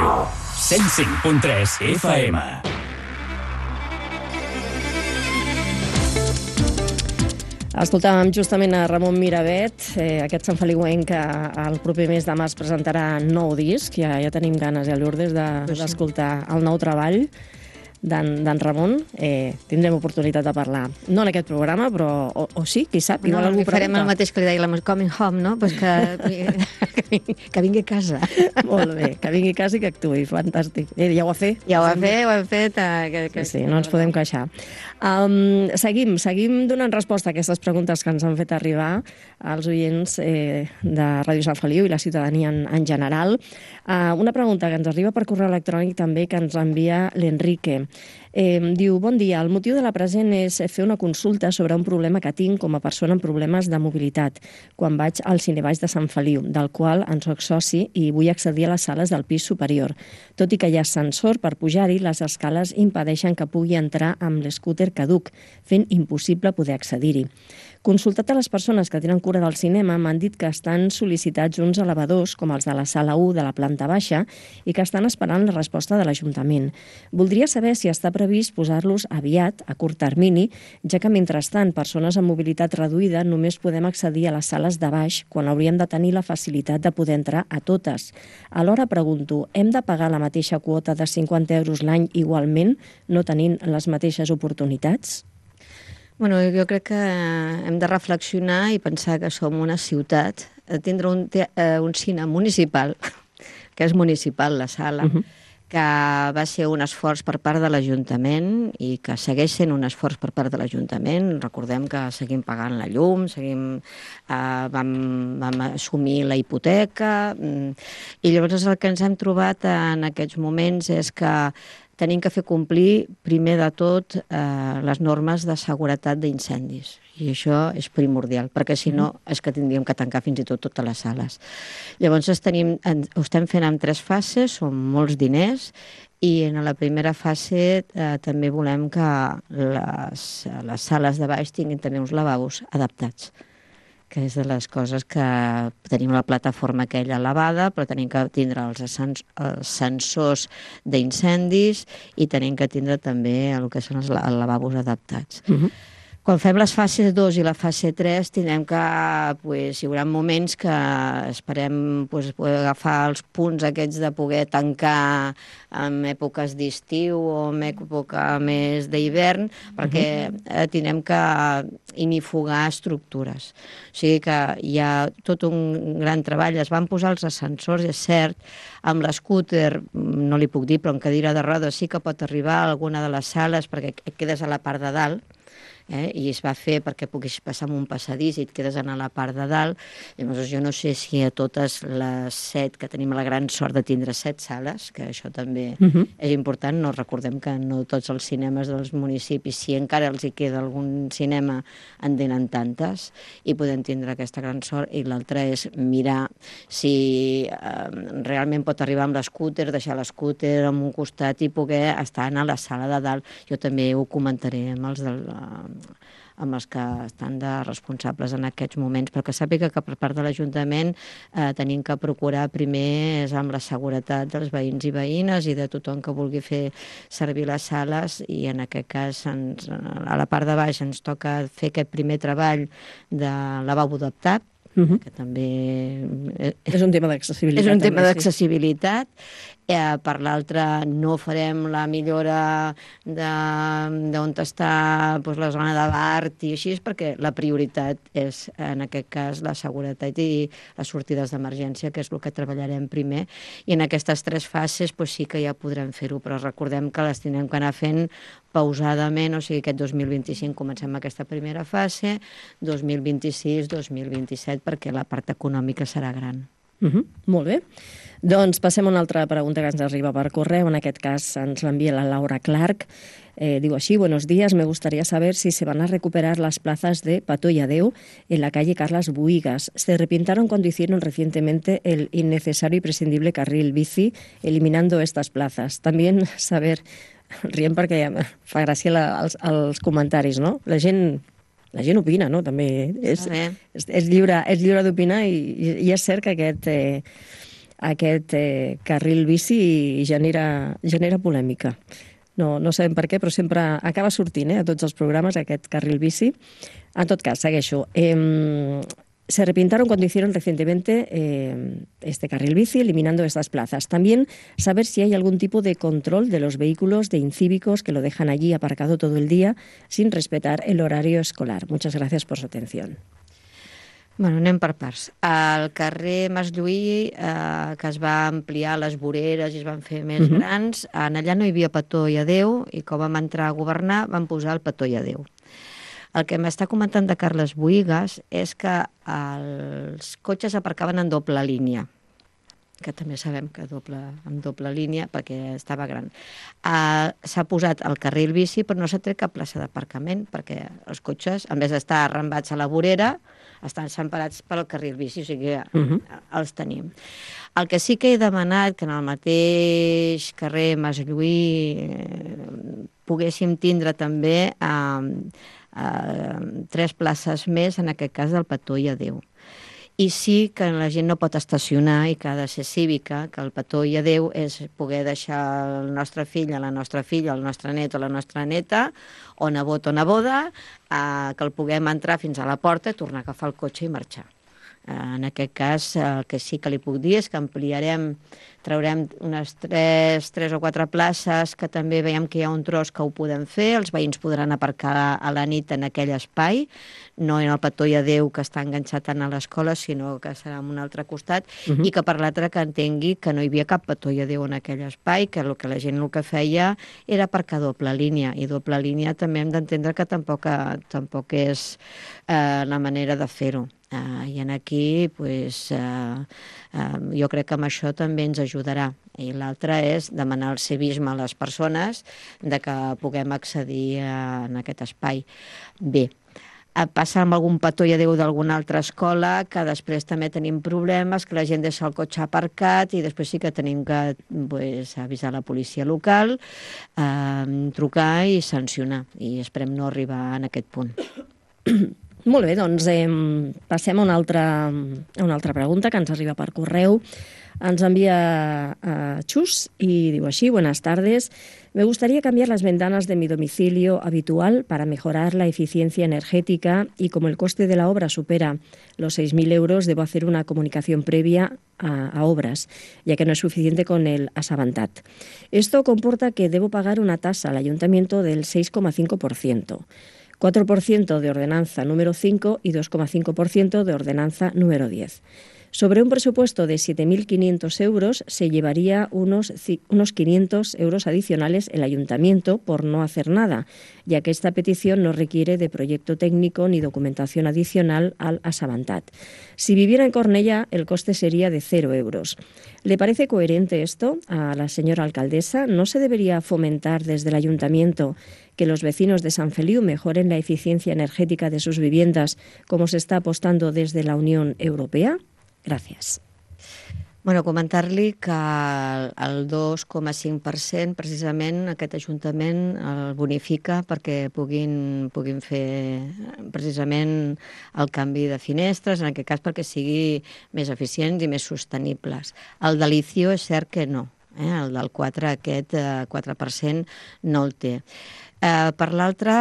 Feliu. cent cinc punt tres F M. Escoltàvem justament a Ramon Miravet, eh, aquest santfeliuenc que el proper mes de març presentarà nou disc. Ja, ja tenim ganes, ja, Lourdes, d'escoltar de, el nou treball d'en Ramon. Eh, tindrem oportunitat de parlar. No en aquest programa, però o, o sí, qui sap, igual no, algú farem pregunta. el mateix que li deia la Coming Home, no? Pues que, que, vingui, que vingui a casa. Molt bé, que vingui a casa i que actuï, fantàstic. Eh, ja ho ha fet. Ja ho ha fet, ho hem fet. Eh, que, que, sí, sí, no ens podem queixar. Um, seguim, seguim donant resposta a aquestes preguntes que ens han fet arribar als oients eh, de Ràdio Sant Feliu i la ciutadania en, en general. Uh, una pregunta que ens arriba per correu electrònic també, que ens envia l'Enrique. Eh, diu, bon dia, el motiu de la present és fer una consulta sobre un problema que tinc com a persona amb problemes de mobilitat quan vaig al Cinebaix de Sant Feliu, del qual en soc soci i vull accedir a les sales del pis superior. Tot i que hi ha ascensor per pujar-hi, les escales impedeixen que pugui entrar amb l'escúter caduc, fent impossible poder accedir-hi. Consultat a les persones que tenen cura del cinema, m'han dit que estan sol·licitats uns elevadors, com els de la sala u de la planta baixa, i que estan esperant la resposta de l'Ajuntament. Voldria saber si està previst posar-los aviat, a curt termini, ja que, mentrestant, persones amb mobilitat reduïda només podem accedir a les sales de baix quan hauríem de tenir la facilitat de poder entrar a totes. Alhora pregunto, hem de pagar la mateixa quota de cinquanta euros l'any igualment, no tenint les mateixes oportunitats? Bueno, jo crec que hem de reflexionar i pensar que som una ciutat. Tindre un, un cine municipal, que és municipal, la sala, uh-huh. que va ser un esforç per part de l'Ajuntament i que segueix sent un esforç per part de l'Ajuntament. Recordem que seguim pagant la llum, seguim, eh, vam, vam assumir la hipoteca, i llavors el que ens hem trobat en aquests moments és que tenim que fer complir, primer de tot, eh, les normes de seguretat d'incendis. I això és primordial, perquè si no és que tindríem que tancar fins i tot totes les sales. Llavors tenim, ho estem fent en tres fases, són molts diners, i en la primera fase eh, també volem que les, les sales de baix tinguin també uns lavabos adaptats, que és de les coses que tenim la plataforma aquella elevada, però tenim que tindre els, ascens els sensors d'incendis i tenim que tindre també el que són els, els lavabos adaptats. Uh-huh. Quan fem les fases dos i la fase tres, tindrem que, pues, hi haurà moments que esperem pues, poder agafar els punts aquests de poder tancar en èpoques d'estiu o en època més d'hivern, perquè eh, tindrem que inifugar estructures. O sigui que hi ha tot un gran treball. Es van posar els ascensors, és cert, amb l'escúter, no li puc dir, però en cadira de rodes sí que pot arribar a alguna de les sales perquè quedes a la part de dalt, Eh, i es va fer perquè puguis passar amb un passadís i et quedes a la part de dalt. Llavors jo no sé si a totes les set, que tenim la gran sort de tindre set sales, que això també uh-huh. és important, no recordem que no tots els cinemes dels municipis, si encara els hi queda algun cinema, en tenen tantes, i podem tindre aquesta gran sort, i l'altra és mirar si eh, realment pot arribar amb l'escúter, deixar l'escúter en un costat i poder estar a la sala de dalt. Jo també ho comentaré amb els del amb els que estan de responsables en aquests moments, però que sàpiga que per part de l'Ajuntament eh, tenim que procurar primer amb la seguretat dels veïns i veïnes i de tothom que vulgui fer servir les sales, i en aquest cas ens, a la part de baix ens toca fer aquest primer treball de lavabo adaptat, uh-huh. que també és un tema d'accessibilitat. És un tema d'accessibilitat. Eh, per l'altra, no farem la millora d'on està doncs, la zona de l'art i així, perquè la prioritat és, en aquest cas, la seguretat i les sortides d'emergència, que és el que treballarem primer. I en aquestes tres fases doncs, sí que ja podrem fer-ho, però recordem que les tindrem que anar fent pausadament, o sigui, aquest dos mil vint-i-cinc comencem aquesta primera fase, dos mil vint-i-sis, dos mil vint-i-set, perquè la part econòmica serà gran. Uh-huh. Molt bé. Doncs passem a una altra pregunta que ens arriba per correu. En aquest cas ens l'envia la Laura Clark. Eh, digo así, buenos días, me gustaría saber si se van a recuperar las plazas de Pato y Adeu en la calle Carlas Buigas. Se arrepintieron cuando hicieron recientemente el innecesario y prescindible carril bici, eliminando estas plazas. También saber, riem perquè fa gràcia la, els, els comentaris, no? La gent... La gent opina, no? També és, és, és lliure, és lliure d'opinar i, i és cert que aquest, eh, aquest eh, carril bici genera, genera polèmica. No, no sabem per què, però sempre acaba sortint eh, a tots els programes aquest carril bici. En tot cas, segueixo. Eh, se repintaron cuando hicieron recientemente eh, este carril bici, eliminando estas plazas. También saber si hay algún tipo de control de los vehículos de incívicos que lo dejan allí aparcado todo el día sin respetar el horario escolar. Muchas gracias por su atención. Bueno, anem per parts. Al carrer Mas Lluí, eh, que es va ampliar les voreres i es van fer més uh-huh. grans, en allà no hi havia petó i adeu, i quan vam entrar a governar van posar el petó i adeu. El que m'està comentant de Carles Bohigas és que els cotxes aparcaven en doble línia, que també sabem que doble, en doble línia, perquè estava gran. Uh, s'ha posat el carril bici, però no s'ha tret cap plaça d'aparcament, perquè els cotxes, en vez d'estar arrambats a la vorera, estan semparats pel carril bici, o sigui que uh-huh. els tenim. El que sí que he demanat, que en el mateix carrer Mas Lluí eh, poguéssim tindre també eh, eh, tres places més, en aquest cas del petó i adeu. I sí que la gent no pot estacionar i que ha de ser cívica, que el petó i adeu és poder deixar el nostre fill, la nostra filla, el nostre net o la nostra neta, o nebot o neboda, eh, que el puguem entrar fins a la porta, tornar a agafar el cotxe i marxar. En aquest cas, el que sí que li puc dir és que ampliarem, traurem unes tres, tres o quatre places, que també veiem que hi ha un tros que ho podem fer, els veïns podran aparcar a la nit en aquell espai, no en el petó i adeu que està enganxat tant a l'escola, sinó que serà en un altre costat, uh-huh. i que per l'altre que entengui que no hi havia cap petó i adeu en aquell espai, que el que la gent el que feia era aparcar doble línia, i doble línia també hem d'entendre que tampoc, tampoc és eh, la manera de fer-ho. Uh, I en aquí pues, uh, uh, jo crec que amb això també ens ajudarà. I l'altre és demanar el civisme a les persones de que puguem accedir a, en aquest espai. Bé, uh, passa amb algun petó i adeu d'alguna altra escola, que després també tenim problemes, que la gent deixa el cotxe aparcat i després sí que tenim que pues, avisar la policia local, uh, trucar i sancionar. I esperem no arribar en aquest punt. Molt bé, doncs eh, passem a una, altra, a una altra pregunta que ens arriba per correu. Ens envia eh, Chus y digo así: buenas tardes. Me gustaría cambiar las ventanas de mi domicilio habitual para mejorar la eficiencia energética y como el coste de la obra supera los seis mil euros, debo hacer una comunicación previa a, a obras, ya que no es suficiente con el Assabentat. Esto comporta que debo pagar una tasa al ayuntamiento del seis coma cinco por ciento. cuatro por ciento de ordenanza número cinco y dos coma cinco por ciento de ordenanza número diez. Sobre un presupuesto de siete mil quinientos euros se llevaría unos, unos quinientos euros adicionales el ayuntamiento por no hacer nada, ya que esta petición no requiere de proyecto técnico ni documentación adicional al Assabentat. Si viviera en Cornellà, el coste sería de cero euros. ¿Le parece coherente esto a la señora alcaldesa? ¿No se debería fomentar desde el ayuntamiento que los vecinos de Sant Feliu mejoren la eficiencia energética de sus viviendas, como se está apostando desde la Unión Europea? Gràcies. Bueno, comentar-li que el dos coma cinc per cent precisament aquest Ajuntament el bonifica perquè puguin, puguin fer precisament el canvi de finestres, en aquest cas perquè sigui més eficients i més sostenibles. El de l'Icio és cert que no, eh? El del quatre, aquest quatre per cent no el té. Eh, per l'altre,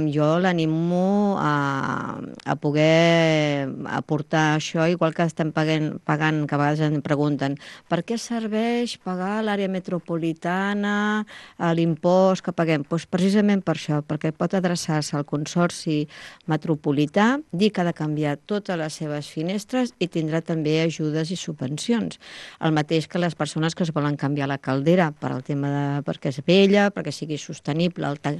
jo l'animo a, a poder aportar això, igual que estem pagant, pagant, que a vegades em pregunten per què serveix pagar a l'àrea metropolitana l'impost que paguem? Pues precisament per això, perquè pot adreçar-se al Consorci Metropolità, dir que ha de canviar totes les seves finestres i tindrà també ajudes i subvencions. El mateix que les persones que es volen canviar la caldera per al tema de perquè és vella, perquè sigui sostenible, el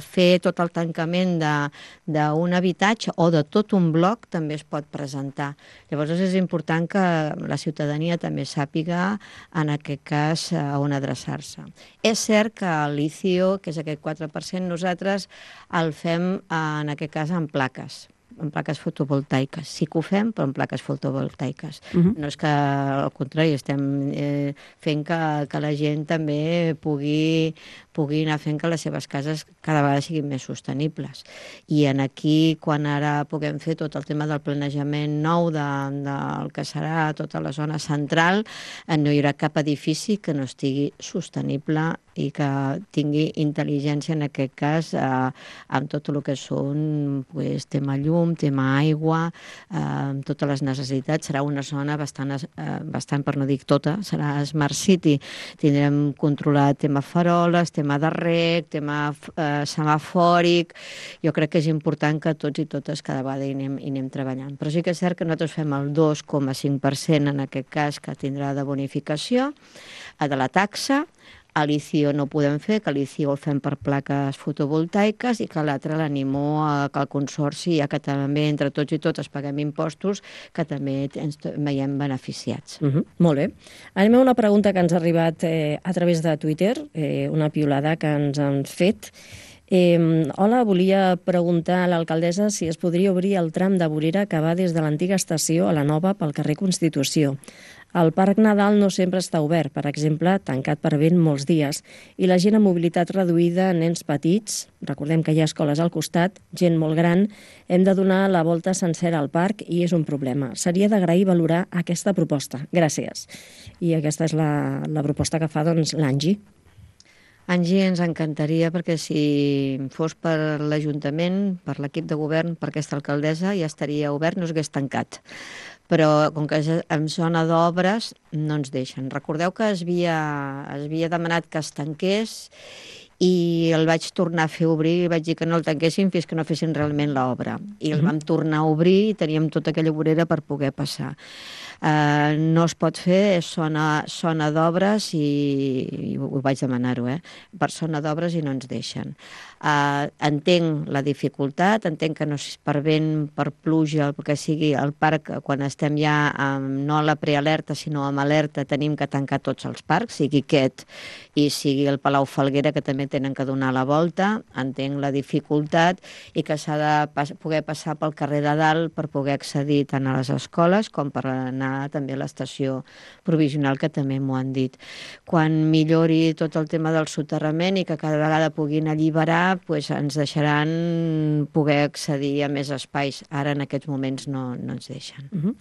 fer tot el tancament d'un habitatge o de tot un bloc també es pot presentar. Llavors és important que la ciutadania també sàpiga en aquest cas on adreçar-se. És cert que l'Icio, que és aquest quatre per cent, nosaltres el fem en aquest cas en plaques. en plaques fotovoltaiques. Sí que ho fem, però en plaques fotovoltaiques. Mhm. No és que, al contrari, estem eh, fent que, que la gent també pugui, pugui anar fent que les seves cases cada vegada siguin més sostenibles. I en aquí, quan ara puguem fer tot el tema del planejament nou de, del que serà tota la zona central, eh, no hi haurà cap edifici que no estigui sostenible i que tingui intel·ligència, en aquest cas, eh, amb tot el que són pues, tema llum, tema aigua, eh, amb totes les necessitats. Serà una zona bastant, eh, bastant, per no dir tota, serà Smart City. Tindrem controlat tema faroles, tema de rec, tema eh, semafòric. Jo crec que és important que tots i totes cada vegada hi anem, hi anem treballant. Però sí que és cert que nosaltres fem el dos coma cinc per cent en aquest cas que tindrà de bonificació de la taxa. A l'I C I O no ho podem fer, que l'I C I O el fem per plaques fotovoltaiques i que l'altre l'animo a que el Consorci, ja que també entre tots i totes paguem impostos, que també ens veiem beneficiats. Uh -huh. Molt bé. Anem a una pregunta que ens ha arribat eh, a través de Twitter, eh, una piulada que ens han fet. Eh, hola, volia preguntar a l'alcaldessa si es podria obrir el tram de vorera que va des de l'antiga estació a la nova pel carrer Constitució. El Parc Nadal no sempre està obert, per exemple, tancat per vent molts dies, i la gent amb mobilitat reduïda, nens petits, recordem que hi ha escoles al costat, gent molt gran, hem de donar la volta sencera al parc i és un problema. Seria d'agrair valorar aquesta proposta. Gràcies. I aquesta és la, la proposta que fa doncs, l'Angie. Angie, ens encantaria, perquè si fos per l'Ajuntament, per l'equip de govern, per aquesta alcaldessa, ja estaria obert, no s'hagués tancat. Però com que en zona d'obres no ens deixen. Recordeu que es havia, es havia demanat que es tanqués i el vaig tornar a fer obrir i vaig dir que no el tanquessin fins que no fessin realment l'obra. I el vam tornar a obrir i teníem tota aquella vorera per poder passar. Uh, no es pot fer, és zona, zona d'obres i, i ho vaig demanar-ho, eh? Per zona d'obres i no ens deixen. Uh, entenc la dificultat, entenc que no és per vent, per pluja, el que sigui el parc, quan estem ja amb, no a la prealerta sinó amb alerta, tenim que tancar tots els parcs, sigui aquest i sigui el Palau Falguera, que també tenen que donar la volta. Entenc la dificultat i que s'ha de pas, poder passar pel carrer de dalt per poder accedir tant a les escoles com per anar també a l'estació provisional, que també m'ho han dit. Quan millori tot el tema del soterrament i que cada vegada puguin alliberar, pues ens deixaran poder accedir a més espais. Ara en aquests moments no, no ens deixen. Uh-huh.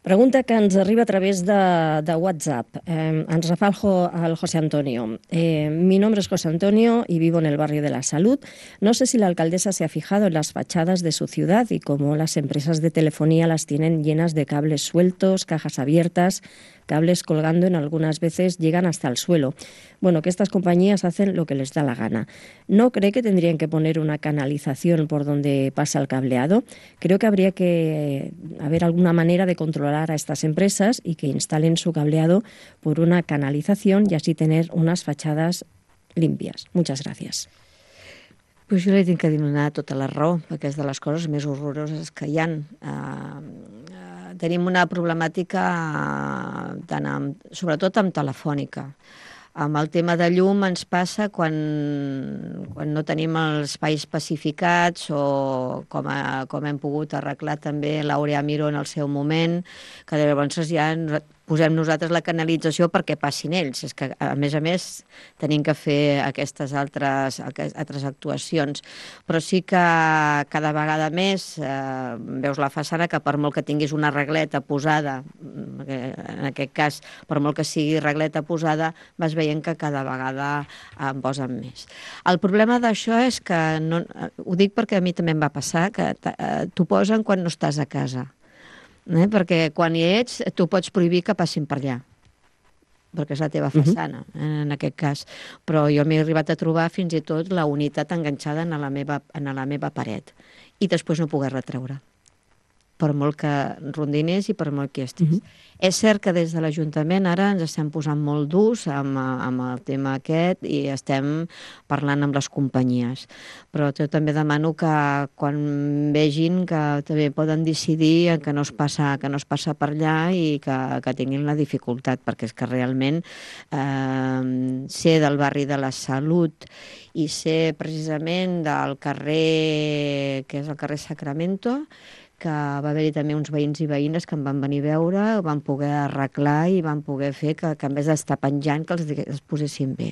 Pregunta que ens arriba a través de, de WhatsApp. Eh, ens la fa el, jo, el José Antonio. Eh, mi nombre es José Antonio y vivo en el barrio de la Salud. No sé si la alcaldesa se ha fijado en las fachadas de su ciudad y cómo las empresas de telefonía las tienen llenas de cables sueltos, cajas abiertas, cables colgando, en algunas veces llegan hasta el suelo. Bueno, que estas compañías hacen lo que les da la gana. ¿No cree que tendrían que poner una canalización por donde pasa el cableado? Creo que habría que haber alguna manera de controlar a estas empresas y que instalen su cableado por una canalización y así tener unas fachadas limpias. Muchas gracias. Pues jo li tinc que donar tota la raó, perquè és de les coses més horroroses que hi ha. Uh, uh, tenim una problemàtica uh, tant amb, sobretot amb telefònica. Amb el tema de llum ens passa quan, quan no tenim els espais pacificats o com, a, com hem pogut arreglar també l'Aurea Miró en el seu moment, que llavors ja posem nosaltres la canalització perquè passin ells. És que, a més a més, tenim que fer aquestes altres, altres actuacions. Però sí que cada vegada més eh, veus la façana que per molt que tinguis una regleta posada, en aquest cas, per molt que sigui regleta posada, vas veient que cada vegada en posen més. El problema d'això és que, no, ho dic perquè a mi també em va passar, que t'ho posen quan no estàs a casa. Eh? Perquè quan hi ets, tu pots prohibir que passin per allà, perquè és la teva façana, uh-huh. en aquest cas. Però jo m'he arribat a trobar fins i tot la unitat enganxada en la meva, en la meva paret i després no poder retreure, per molt que rondinés i per molt que estiguis. Uh-huh. És cert que des de l'Ajuntament ara ens estem posant molt durs amb, amb el tema aquest i estem parlant amb les companyies. Però jo també demano que quan vegin que també poden decidir que no es passa, que no es passa per allà i que, que tinguin la dificultat, perquè és que realment eh, ser del barri de la Salut i sé precisament del carrer, que és el carrer Sacramento, que va haver-hi també uns veïns i veïnes que em van venir a veure, ho van poder arreglar i van poder fer que, que en vez d'estar penjant, que els, els posessin bé.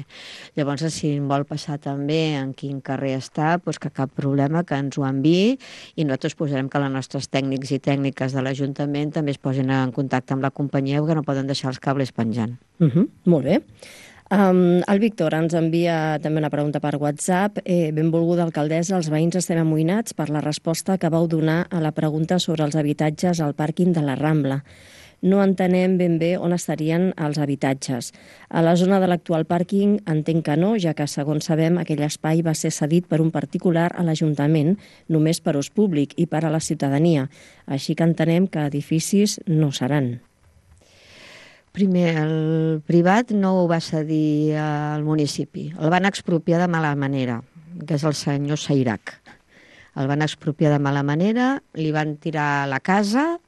Llavors, si em vol passar també en quin carrer està, doncs que cap problema, que ens ho enviï i nosaltres posarem que els nostres tècnics i tècniques de l'Ajuntament també es posin en contacte amb la companyia perquè no poden deixar els cables penjant. Uh -huh, molt bé. Um, el Víctor ens envia també una pregunta per WhatsApp. Eh, benvolguda alcaldessa, els veïns estem amoïnats per la resposta que vau donar a la pregunta sobre els habitatges al pàrquing de la Rambla. No entenem ben bé on estarien els habitatges. A la zona de l'actual pàrquing entenc que no, ja que, segons sabem, aquell espai va ser cedit per un particular a l'Ajuntament, només per ús públic i per a la ciutadania. Així que entenem que edificis no seran. Primer, el privat no ho va cedir al municipi. El van expropiar de mala manera, que és el senyor Sairac. El van expropiar de mala manera, li van tirar la casa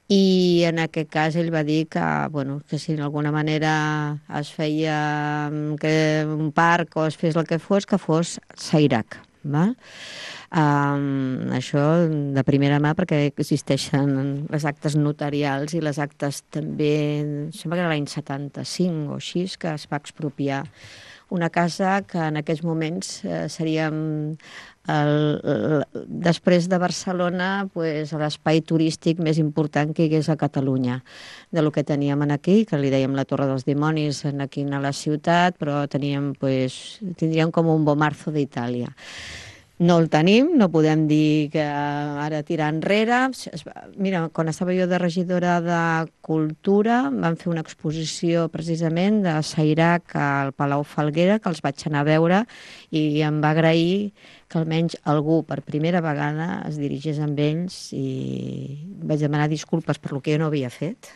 i en aquest cas ell va dir que, bueno, que si d'alguna manera es feia que un parc o es fes el que fos, que fos Sairac. Val? Um, això de primera mà perquè existeixen les actes notarials i les actes també, sembla que era l'any setanta-cinc o així, que es va expropiar una casa que en aquests moments eh, seria el, el, després de Barcelona pues, l'espai turístic més important que hi hagués a Catalunya, de lo que teníem aquí, que li dèiem la Torre dels Dimonis aquí a la ciutat, però teníem, pues, tindríem com un Bomarzo d'Itàlia. No el tenim, no podem dir que ara tirar enrere. Mira, quan estava jo de regidora de Cultura, vam fer una exposició precisament de Sairac al Palau Falguera, que els vaig anar a veure i em va agrair que almenys algú per primera vegada es dirigés amb ells i vaig demanar disculpes per lo que jo no havia fet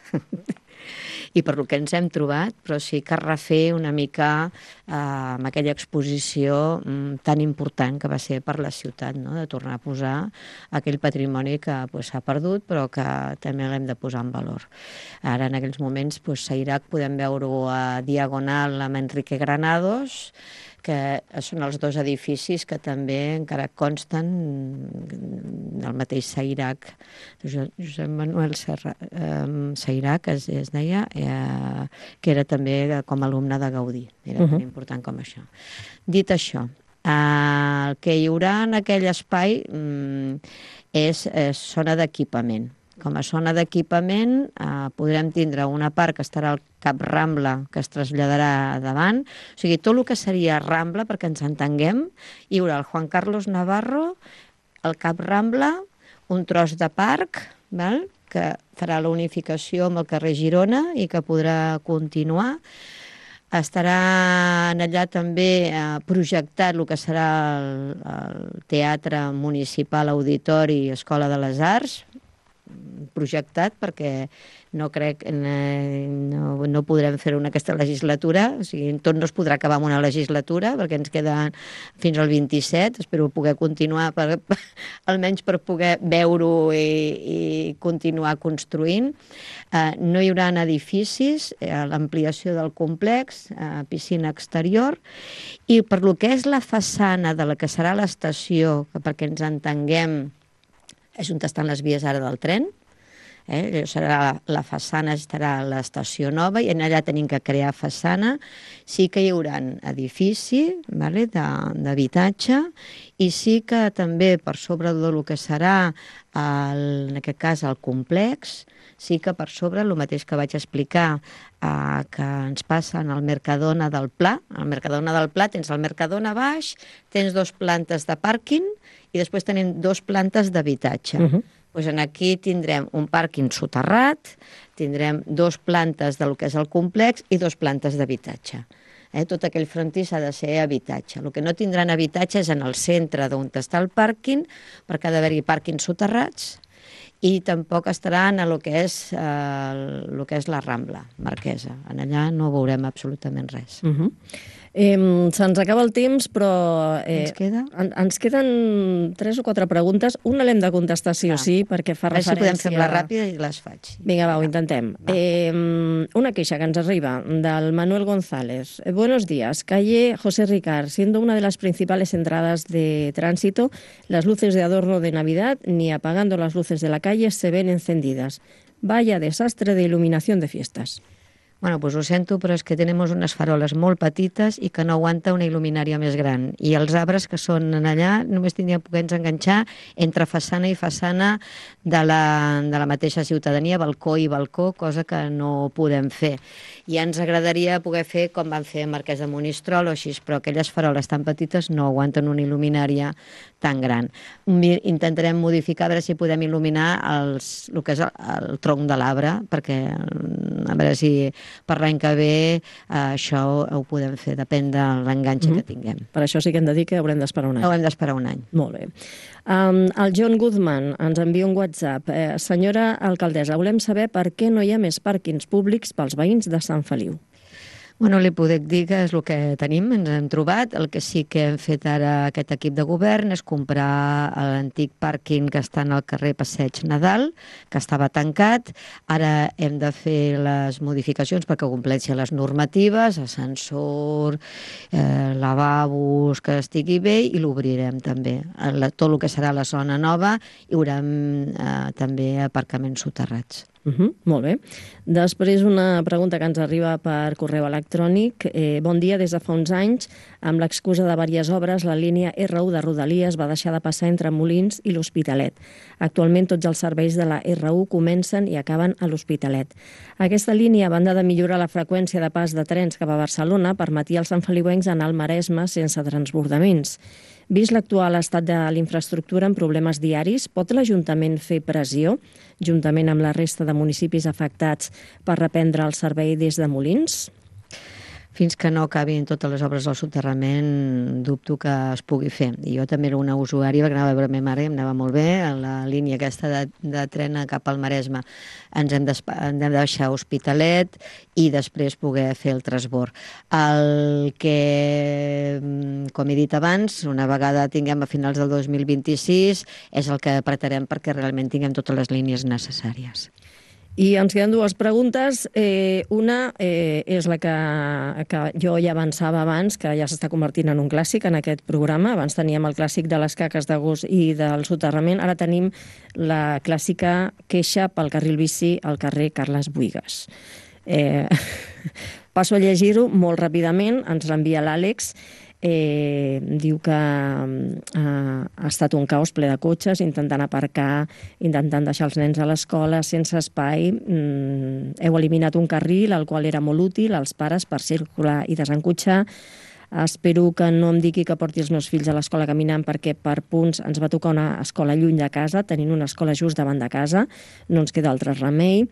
i per lo que ens hem trobat, però sí que refer una mica eh, amb aquella exposició mm, tan important que va ser per la ciutat, no? De tornar a posar aquell patrimoni que s'ha pues, perdut però que també l'hem de posar en valor. Ara en aquells moments pues, Sairac podem veure-ho a Diagonal amb Enrique Granados, que són els dos edificis que també encara consten del mateix Sairac, Josep Manuel Serra, eh, Sairac es, es deia, eh, que era també com a alumne de Gaudí, era uh-huh. tan important com això. Dit això, eh, el que hi haurà en aquell espai mm, és eh, zona d'equipament. Com a zona d'equipament eh, podrem tindre una part que estarà al Cap Rambla, que es traslladarà davant. O sigui, tot el que seria Rambla, perquè ens entenguem, hi haurà el Juan Carlos Navarro, el Cap Rambla, un tros de parc, val? Que farà la unificació amb el carrer Girona i que podrà continuar. Estarà allà també eh, projectat el que serà el, el Teatre Municipal, Auditori i Escola de les Arts, projectat perquè no crec, no, no podrem fer-ho en aquesta legislatura, o sigui, tot no es podrà acabar en una legislatura perquè ens queden fins al vint-i-set, espero poder continuar, per, almenys per poder veure-ho i, i continuar construint. Eh, no hi haurà edificis, eh, l'ampliació del complex, eh, piscina exterior, i per lo que és la façana de la que serà l'estació, perquè ens entenguem, és on estan les vies ara del tren, eh? Serà la façana, estarà a l'estació nova i allà tenim que crear façana. Sí que hi haurà edifici, vale, d'habitatge, i sí que també per sobre del que serà, el, en aquest cas, el complex, sí que per sobre, el mateix que vaig explicar, eh, que ens passa en el Mercadona del Pla. Al Mercadona del Pla tens el Mercadona baix, tens dos plantes de pàrquing i després tenim dos plantes d'habitatge. Uh-huh. Pues aquí tindrem un pàrquing soterrat, tindrem dos plantes del que és el complex i dos plantes d'habitatge. Eh? Tot aquell frontis ha de ser habitatge. El que no tindran habitatge és en el centre d'on està el pàrquing, perquè ha d'haver-hi pàrquings soterrats, i tampoc estaran a lo que és, eh, lo que és la Rambla Marquesa. En allà no veurem absolutament res. Uh -huh. Eh, Se'ns acaba el temps, però... Eh, ens queda? En, ens queden tres o quatre preguntes. Una l'hem de contestar sí ah. o sí, perquè fa a veure referència... si podem fer-la ràpida i les faig. Vinga, va, ho intentem. Eh, una queixa que ens arriba del Manuel González. Eh, buenos días. Calle José Ricard. Siendo una de las principales entradas de tránsito, las luces de adorno de Navidad, ni apagando las luces de la calle, se ven encendidas. Vaya desastre de iluminación de fiestas. Bueno, doncs ho sento, però és que tenim unes faroles molt petites i que no aguanta una il·luminària més gran. I els arbres que són allà només tindrien poder-nos enganxar entre façana i façana de la, de la mateixa ciutadania, balcó i balcó, cosa que no podem fer. I ens agradaria poder fer com van fer a Marquès de Monistrol o així, però aquelles faroles tan petites no aguanten una il·luminària tan gran. Intentarem modificar, a veure si podem il·luminar els, el que és el, el tronc de l'arbre, perquè a veure si per l'any que ve eh, això ho, ho podem fer, depèn de l'enganxe mm-hmm. que tinguem. Per això sí que hem de dir que haurem d'esperar un any. Haurem d'esperar un any. Molt bé. Um, el John Guzman ens envia un WhatsApp. Eh, senyora alcaldessa, volem saber per què no hi ha més pàrquings públics pels veïns de Sant Feliu. Bueno, li puc dir que és el que tenim, ens hem trobat. El que sí que hem fet ara aquest equip de govern és comprar l'antic pàrquing que està al carrer Passeig Nadal, que estava tancat. Ara hem de fer les modificacions perquè compleixi les normatives, ascensor, eh, lavabos, que estigui bé, i l'obrirem també. Tot el que serà la zona nova hi haurà eh, també aparcaments soterrats. Uh -huh, molt bé. Després una pregunta que ens arriba per correu electrònic. Eh, bon dia, des de fa uns anys, amb l'excusa de diverses obres, la línia erre u de Rodalies va deixar de passar entre Molins i l'Hospitalet. Actualment tots els serveis de la erre u comencen i acaben a l'Hospitalet. Aquesta línia, a banda de millorar la freqüència de pas de trens cap a Barcelona, permetia als santfeliuencs anar al Maresme sense transbordaments. Vist l'actual estat de l'infraestructura amb problemes diaris, pot l'Ajuntament fer pressió, juntament amb la resta de municipis afectats, per reprendre el servei des de Molins? Fins que no acabin totes les obres del soterrament, dubto que es pugui fer. I jo també era una usuària, perquè anava a veure la meva mare i em anava molt bé, a la línia aquesta de, de tren cap al Maresme. Ens hem, hem de deixar Hospitalet i després poder fer el transbord. El que, com he dit abans, una vegada tinguem a finals del dos mil vint-i-sis, és el que apretarem perquè realment tinguem totes les línies necessàries. I ens queden dues preguntes. Eh, una eh, és la que, que jo ja avançava abans, que ja s'està convertint en un clàssic en aquest programa. Abans teníem el clàssic de les caques d'agost i del soterrament. Ara tenim la clàssica queixa pel carril bici al carrer Carles Buïgas. Eh, passo a llegir-ho molt ràpidament. Ens l'envia l'Àlex. Eh, diu que eh, ha estat un caos ple de cotxes, intentant aparcar, intentant deixar els nens a l'escola sense espai. Mm, heu eliminat un carril, el qual era molt útil als pares per circular i desencotxar. Espero que no em digui que porti els meus fills a l'escola caminant, perquè per punts ens va tocar una escola lluny de casa, tenint una escola just davant de casa. No ens queda altre remei.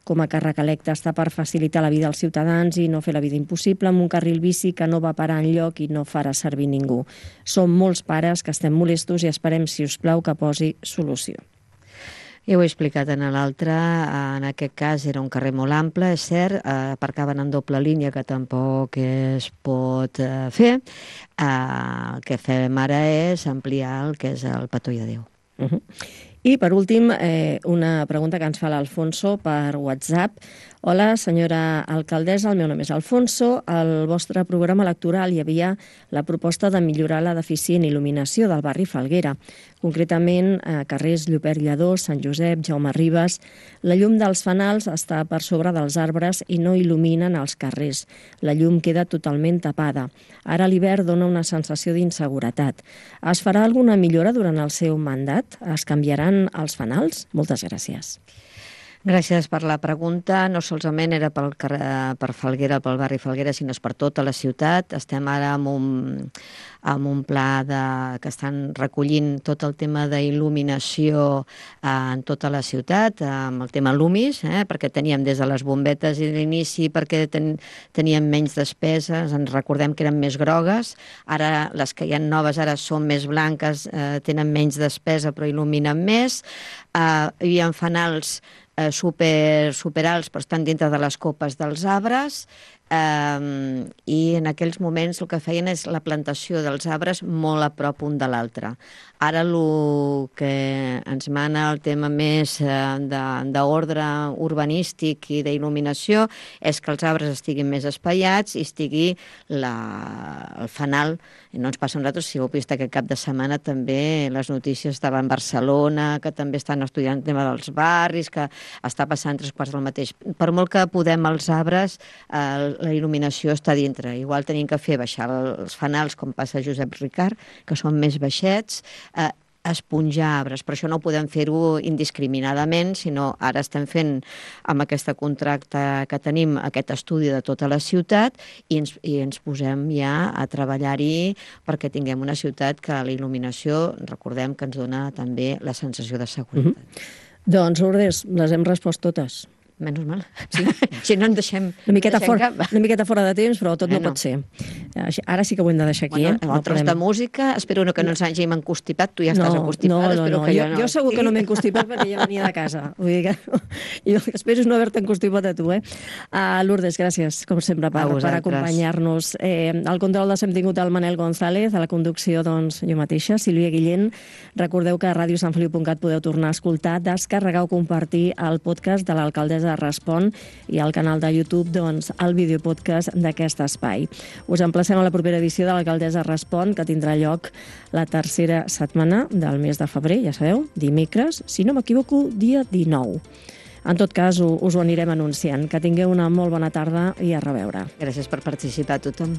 Com a càrrec electe està per facilitar la vida als ciutadans i no fer la vida impossible amb un carril bici que no va parar enlloc i no farà servir ningú. Som molts pares que estem molestos i esperem, si us plau, que posi solució. Ja ho he explicat en l'altre, en aquest cas era un carrer molt ample, és cert, aparcaven en doble línia, que tampoc es pot fer. El que fem ara és ampliar el que és el Petó de Déu. Uh-huh. I, per últim, eh, una pregunta que ens fa l'Alfonso per WhatsApp. Hola, senyora alcaldessa, el meu nom és Alfonso. Al vostre programa electoral hi havia la proposta de millorar la deficient il·luminació del barri Falguera, concretament a carrers Llopert Lledó, Sant Josep, Jaume Ribes. La llum dels fanals està per sobre dels arbres i no il·luminen els carrers. La llum queda totalment tapada. Ara l'hivern dona una sensació d'inseguretat. Es farà alguna millora durant el seu mandat? Es canviaran els fanals? Moltes gràcies. Gràcies per la pregunta. No solament era pel carrer, per Falguera, pel barri Falguera, sinó per tota la ciutat. Estem ara amb un, amb un pla de, que estan recollint tot el tema d'il·luminació eh, en tota la ciutat, amb el tema Lumis, eh, perquè teníem des de les bombetes i l'inici, perquè ten, teníem menys despeses, ens recordem que eren més grogues, ara les que hi ha noves ara són més blanques, eh, tenen menys despesa però il·luminen més, eh, hi ha fanals super, super alts, però estan dintre de les copes dels arbres, eh, i en aquells moments el que feien és la plantació dels arbres molt a prop un de l'altre. Ara el que ens mana el tema més d'ordre urbanístic i d'il·luminació és que els arbres estiguin més espaiats i estigui la, el fanal. No ens passa a nosaltres, si heu vist aquest cap de setmana també les notícies estaven a Barcelona, que també estan estudiant el tema dels barris, que està passant tres quarts del mateix. Per molt que podem els arbres, eh, la il·luminació està dintre. Igual tenim que fer baixar els fanals, com passa a Josep Ricard, que són més baixets, eh, esponjar arbres, però això no ho podem fer-ho indiscriminadament, sinó ara estem fent amb aquest contracte que tenim, aquest estudi de tota la ciutat i ens, i ens posem ja a treballar-hi perquè tinguem una ciutat que la il·luminació, recordem que ens dona també la sensació de seguretat. Mm-hmm. Doncs, Lourdes, les hem respost totes. Menys mal. Sí. Si no en deixem... Una miqueta, deixem fora, una miqueta fora de temps, però tot eh, no, no pot ser. Ara sí que ho hem de deixar aquí. Bueno, eh? el no tros podem... de música, espero que no ens hàgim encostipat. Tu ja no, estàs encostipada. No, no, no. Que jo, jo, no. jo segur que no m'he encostipat perquè ja venia de casa. Vull dir que jo espero no haver-te encostipat a tu. Eh? Uh, Lourdes, gràcies, com sempre, per, per acompanyar-nos. Eh, al control de hem tingut el Manel González, a la conducció, doncs, jo mateixa, Sílvia Guillén. Recordeu que a ràdio sant feliu punt cat podeu tornar a escoltar, descarregar o compartir el podcast de l'Alcaldessa Respon i al canal de YouTube, doncs, el videopodcast d'aquest espai. Us emplacem a la propera edició de l'Alcaldessa Respon, que tindrà lloc la tercera setmana del mes de febrer, ja sabeu, dimecres, si no m'equivoco, dia dinou. En tot cas, us ho anirem anunciant. Que tingueu una molt bona tarda i a reveure. Gràcies per participar a tothom.